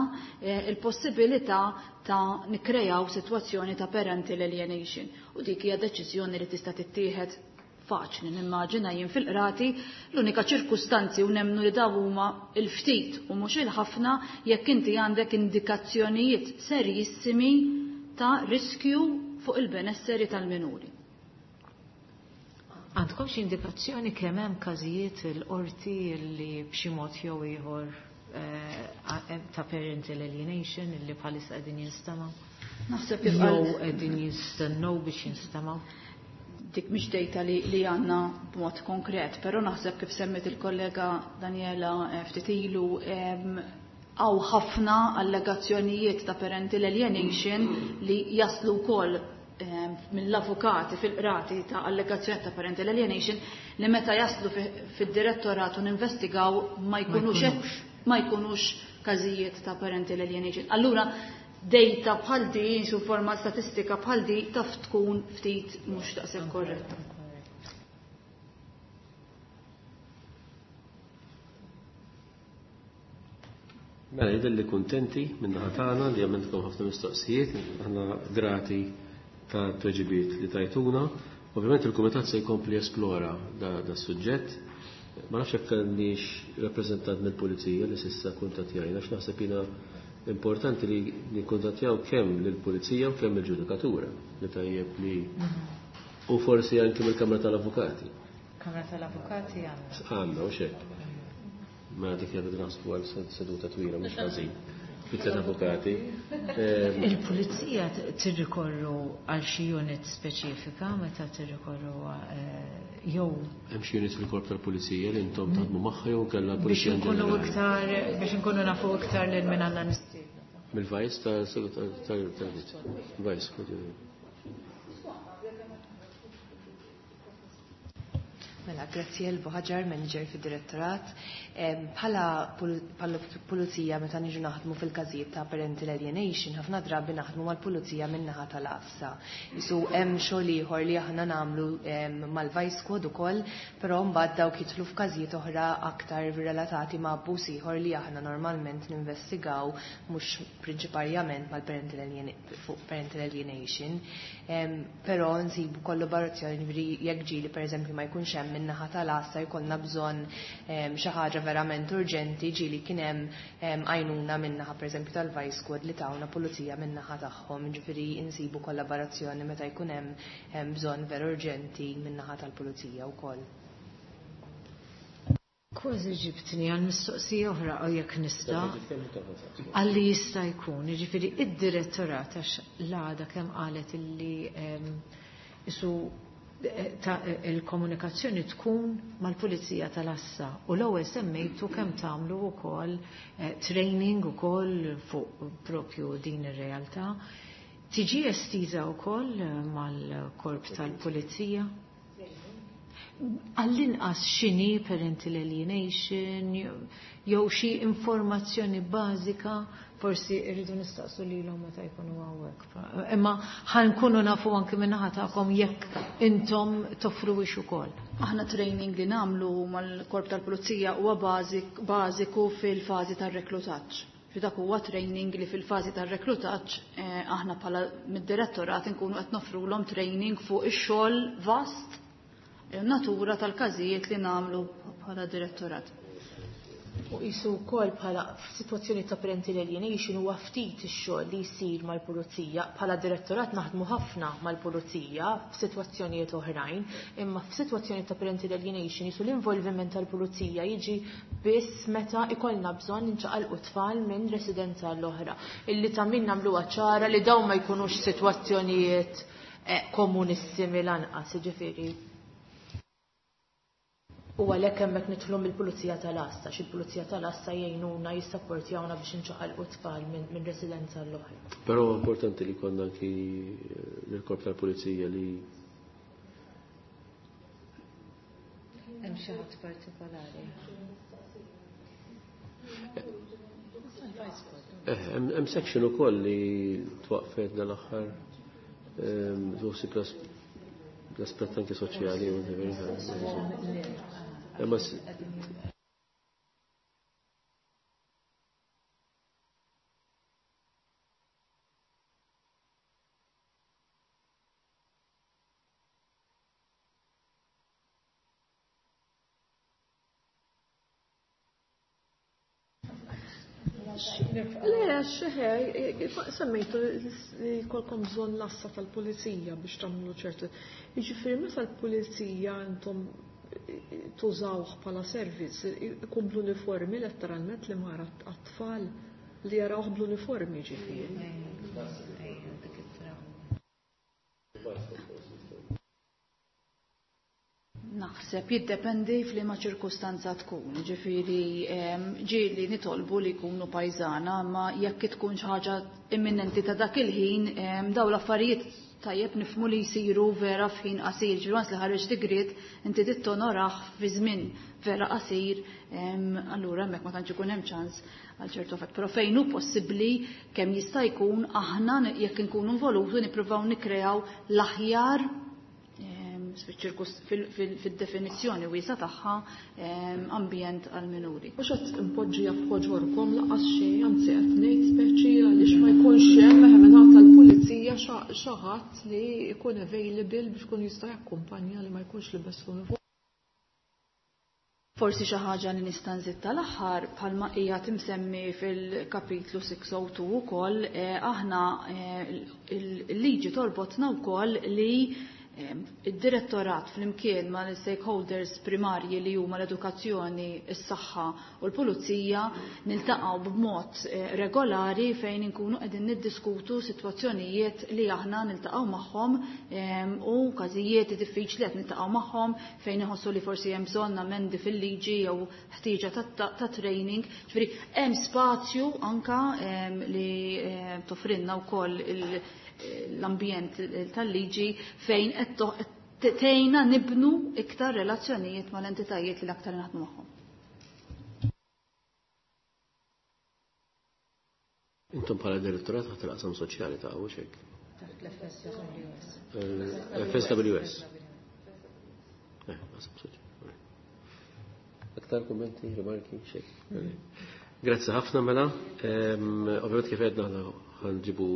D: il-possibilità ta' nikkrejaw sitwazzjoni ta' parental alienation. U dik hija deċiżjoni li tista' tittieħed faċli nimmaġina jien fil-qrati, l-unika ċirkustanzi u nemnu li daw huma il-ftit u mhux il-ħafna jekk inti għandek indikazzjonijiet serjissimi ta' riskju fuq il-benesseri tal-minuri.
C: Għandkom xi indikazzjoni kemm hemm każijiet il-qorti li b'xi mod jew ieħor ta' parental alienation illi bħalissa qegħdin jinstemgħu?
D: Naħseb kif
C: jew qegħdin jistennew biex jinstemgħu?
D: Dik mhix dejta li, li għandna b'mod konkret, però naħseb kif semmet il-kollega Daniela ftit ilu hawn ħafna allegazzjonijiet ta' parental alienation li jaslu wkoll mill-avukati fil-qrati ta' allegazzjoni ta' parental alienation li meta jaslu fid-direttorat u ninvestigaw ma jkunux ma jkunux każijiet ta' parental alienation. Allura data bħal di, su forma statistika bħal di, taf tkun ftit mhux daqshekk korretta.
A: Mela jidher li kuntenti minn naħa tagħna li għamiltkom ħafna mistoqsijiet, aħna grati ta' tweġibiet li tajtuna. Ovvjament il-Kumitat se jkompli esplora da, da suġġett. Ma nafx jekk għandix rappreżentant mill-Pulizija li s'issa kuntattjajna, għax naħseb jiena importanti li nikkuntattjaw kemm lill-Pulizija u kemm il-ġudikatura li tajjeb li u forsi anke mill-Kamra tal-Avukati.
C: Kamra tal-Avukati għandna.
A: Għandna u xek. Ma dik jgħidu naħsbu għal seduta twila mhux ħażin. Fit-tliet avukati.
C: Il-Pulizija tirrikorru għal xi unit speċifika meta tirrikorru jew
A: hemm xi unit fil-korp tal-Pulizija li intom taħdmu magħha jew kellha
C: l-Pulizija biex inkunu iktar biex inkunu nafu iktar lil min għandna nistiednu.
A: Mill-Vice tal-Vice.
H: Mela, grazzi Elbo Ħaġar, manager fid-direttorat. Bħala pulizija meta niġu naħdmu fil-każijiet ta' parental alienation, ħafna drabi naħdmu mal-pulizija min-naħa tal-għassa. Isu hemm xogħol ieħor li aħna nagħmlu mal-Vice Squad ukoll, però mbagħad dawk jidħlu f'każijiet oħra aktar relatati ma' abbuż ieħor li aħna normalment ninvestigaw mhux prinċiparjament mal-parental fuq parental alienation. Però nsibu kollaborazzjoni jekk ġieli pereżempju ma jkunx hemm min-naħa tal-għassa jkollna bżonn xi ħaġa verament urġenti, ġieli kien hemm għajnuna min-naħa pereżempju tal-Vice Squad li tawna pulizija min-naħa tagħhom, ġifieri insibu kollaborazzjoni meta jkun hemm bżonn veru urġenti min-naħa tal-pulizija wkoll.
C: Kważi ġibtni għal mistoqsija oħra u jekk nista' għalli jista' jkun, jiġifieri id-direttorat għax l-għada kemm qalet illi isu il-komunikazzjoni tkun mal-Pulizija tal-Assa u l-ewwel semmejtu kemm tagħmlu wkoll training ukoll fuq propju din ir-realtà. Tiġi estiża wkoll mal-korp tal-Pulizija? Għall-inqas x'inhi parental alienation jew xi informazzjoni bażika forsi rridu nistaqsu lilhom meta jkunu hawnhekk. Imma ħankunu nafu anke min-naħa tagħkom jekk intom toffruwix ukoll.
D: Aħna training li nagħmlu mal-korp tal-pulizija huwa bażiku fil-fażi tar-reklutaġġ. Dak huwa training li fil-fażi tar-reklutaġġ aħna bħala mid-direttorat inkunu qed nofrulhom training fuq ix-xogħol vast natura tal-każijiet li nagħmlu bħala direttorat.
B: U qisu wkoll bħala f'sitwazzjoni ta' parental alienation huwa ftit ix-xogħol li jsir mal-pulizija. Bħala direttorat naħdmu ħafna mal-pulizija f'sitwazzjonijiet oħrajn, imma f'sitwazzjoni ta' parental alienation jisu l-involviment tal-pulizija jiġi biss meta ikollna bżonn inċaqalqu tfal minn residenza l-oħra. Illi ta' min nagħmluha ċara li dawn ma jkunux sitwazzjonijiet komunissimi lanqas, jiġifieri. U għalhekk hemmhekk nidħlu mill-Pulizija tal-Assa, xi l-Pulizija tal-Assa jgħinuna jissapportjawna biex inċaqalqu tfal minn residenza l-oħra.
A: Però importanti li konna anki l-korp tal-Pulizija li
C: hemm xi ħadd partikolari.
A: Hemm section ukoll li twaqfet dal-aħħar tuħsib l-aspett anke soċjali u imma
F: Le, xeħe, semmejtu li kolkom bżonn l-assa tal-pulizija biex tagħmlu ċertu. Jiġifieri meta l-pulizija intom tużawh bħala servizz, ikun bl-uniformi letteralment li mara għat-tfal li jarawh bl-uniformi ġifieri.
D: Naħseb jiddependi f'liema ċirkustanza tkun, ġifieri ġieli nitolbu li jkunu pajżana, ma jekk tkun xi ħaġa imminenti ta' dak il-ħin, dawn l-affarijiet tajjeb nifhmu li jsiru vera f'ħin qasir, ġifieri once li ħareġ digriet inti tittonoraħ fi żmien vera qasir, allura hemmhekk ma tantx ikun hemm ċans għal ċertu fatt. Però fejn hu possibbli kemm jista' jkun aħna jekk inkunu involuti nippruvaw nikkreaw l-aħjar fil-definizzjoni wiesa tagħha ambjent għal minuri.
F: Mhux qed impoġġija f'ħoġorkom laqas xejn, anzi qed ngħid speċi għaliex ma jkunx hemm mingħata tal-pulizija xi ħadd li jkun available biex ikun jista' jakkumpanja li ma jkunx libes l-uniform.
D: Forsi xi ħaġa li nista' nżid tal-aħħar bħalma hija timsemmi fil-kapitlu six oh two ukoll aħna il-liġi torbotna wkoll li id-direttorat flimkien ma' l-stakeholders primarji li huma l-edukazzjoni, is-saħħa u l-pulizija niltaqgħu b'mod regolari fejn inkunu qegħdin niddiskutu sitwazzjonijiet li aħna niltaqgħu magħhom u każijiet diffiċli qed niltaqgħu magħhom fejn iħossu li forsi hemm bżonn amendi fil-liġi jew ħtieġa ta' training. Ġifieri hemm spazju anka li toffrilna wkoll l-ambjent tal-liġi fejn qed tgħinna nibnu iktar relazzjonijiet mal-entitajiet li l-aktar naħdmu magħhom.
A: Intom bħala direttorat taħt il-qasam soċjali ta' hawn hekk?
C: Taħt l-F S W S.
A: F S W S. Eh, qasam soċjali. Aktar kummenti, rimarki, xejn. Grazzi ħafna mela. Ovvjament kif għedna aħna ħanġibu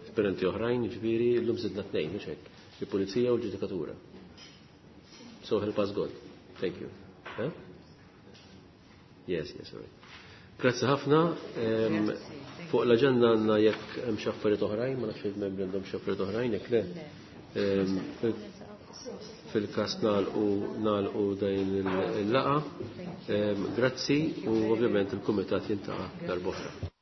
A: esperimenti oħrajn, ġifieri llum żidna tnejn, mhux hekk, il-pulizija u l-ġudikatura. So help us God. Thank you. Huh? Yes, yes, all right. Grazzi ħafna. Fuq l-aġenda għandna jekk hemm xi affarijiet oħrajn, ma nafx il-membri għandhom xi affarijiet oħrajn, jekk le. fil-każ nagħlqu nagħlqu din il-laqgħa. Grazzi u ovvjament il-kumitat jiltaqa' darb'oħra.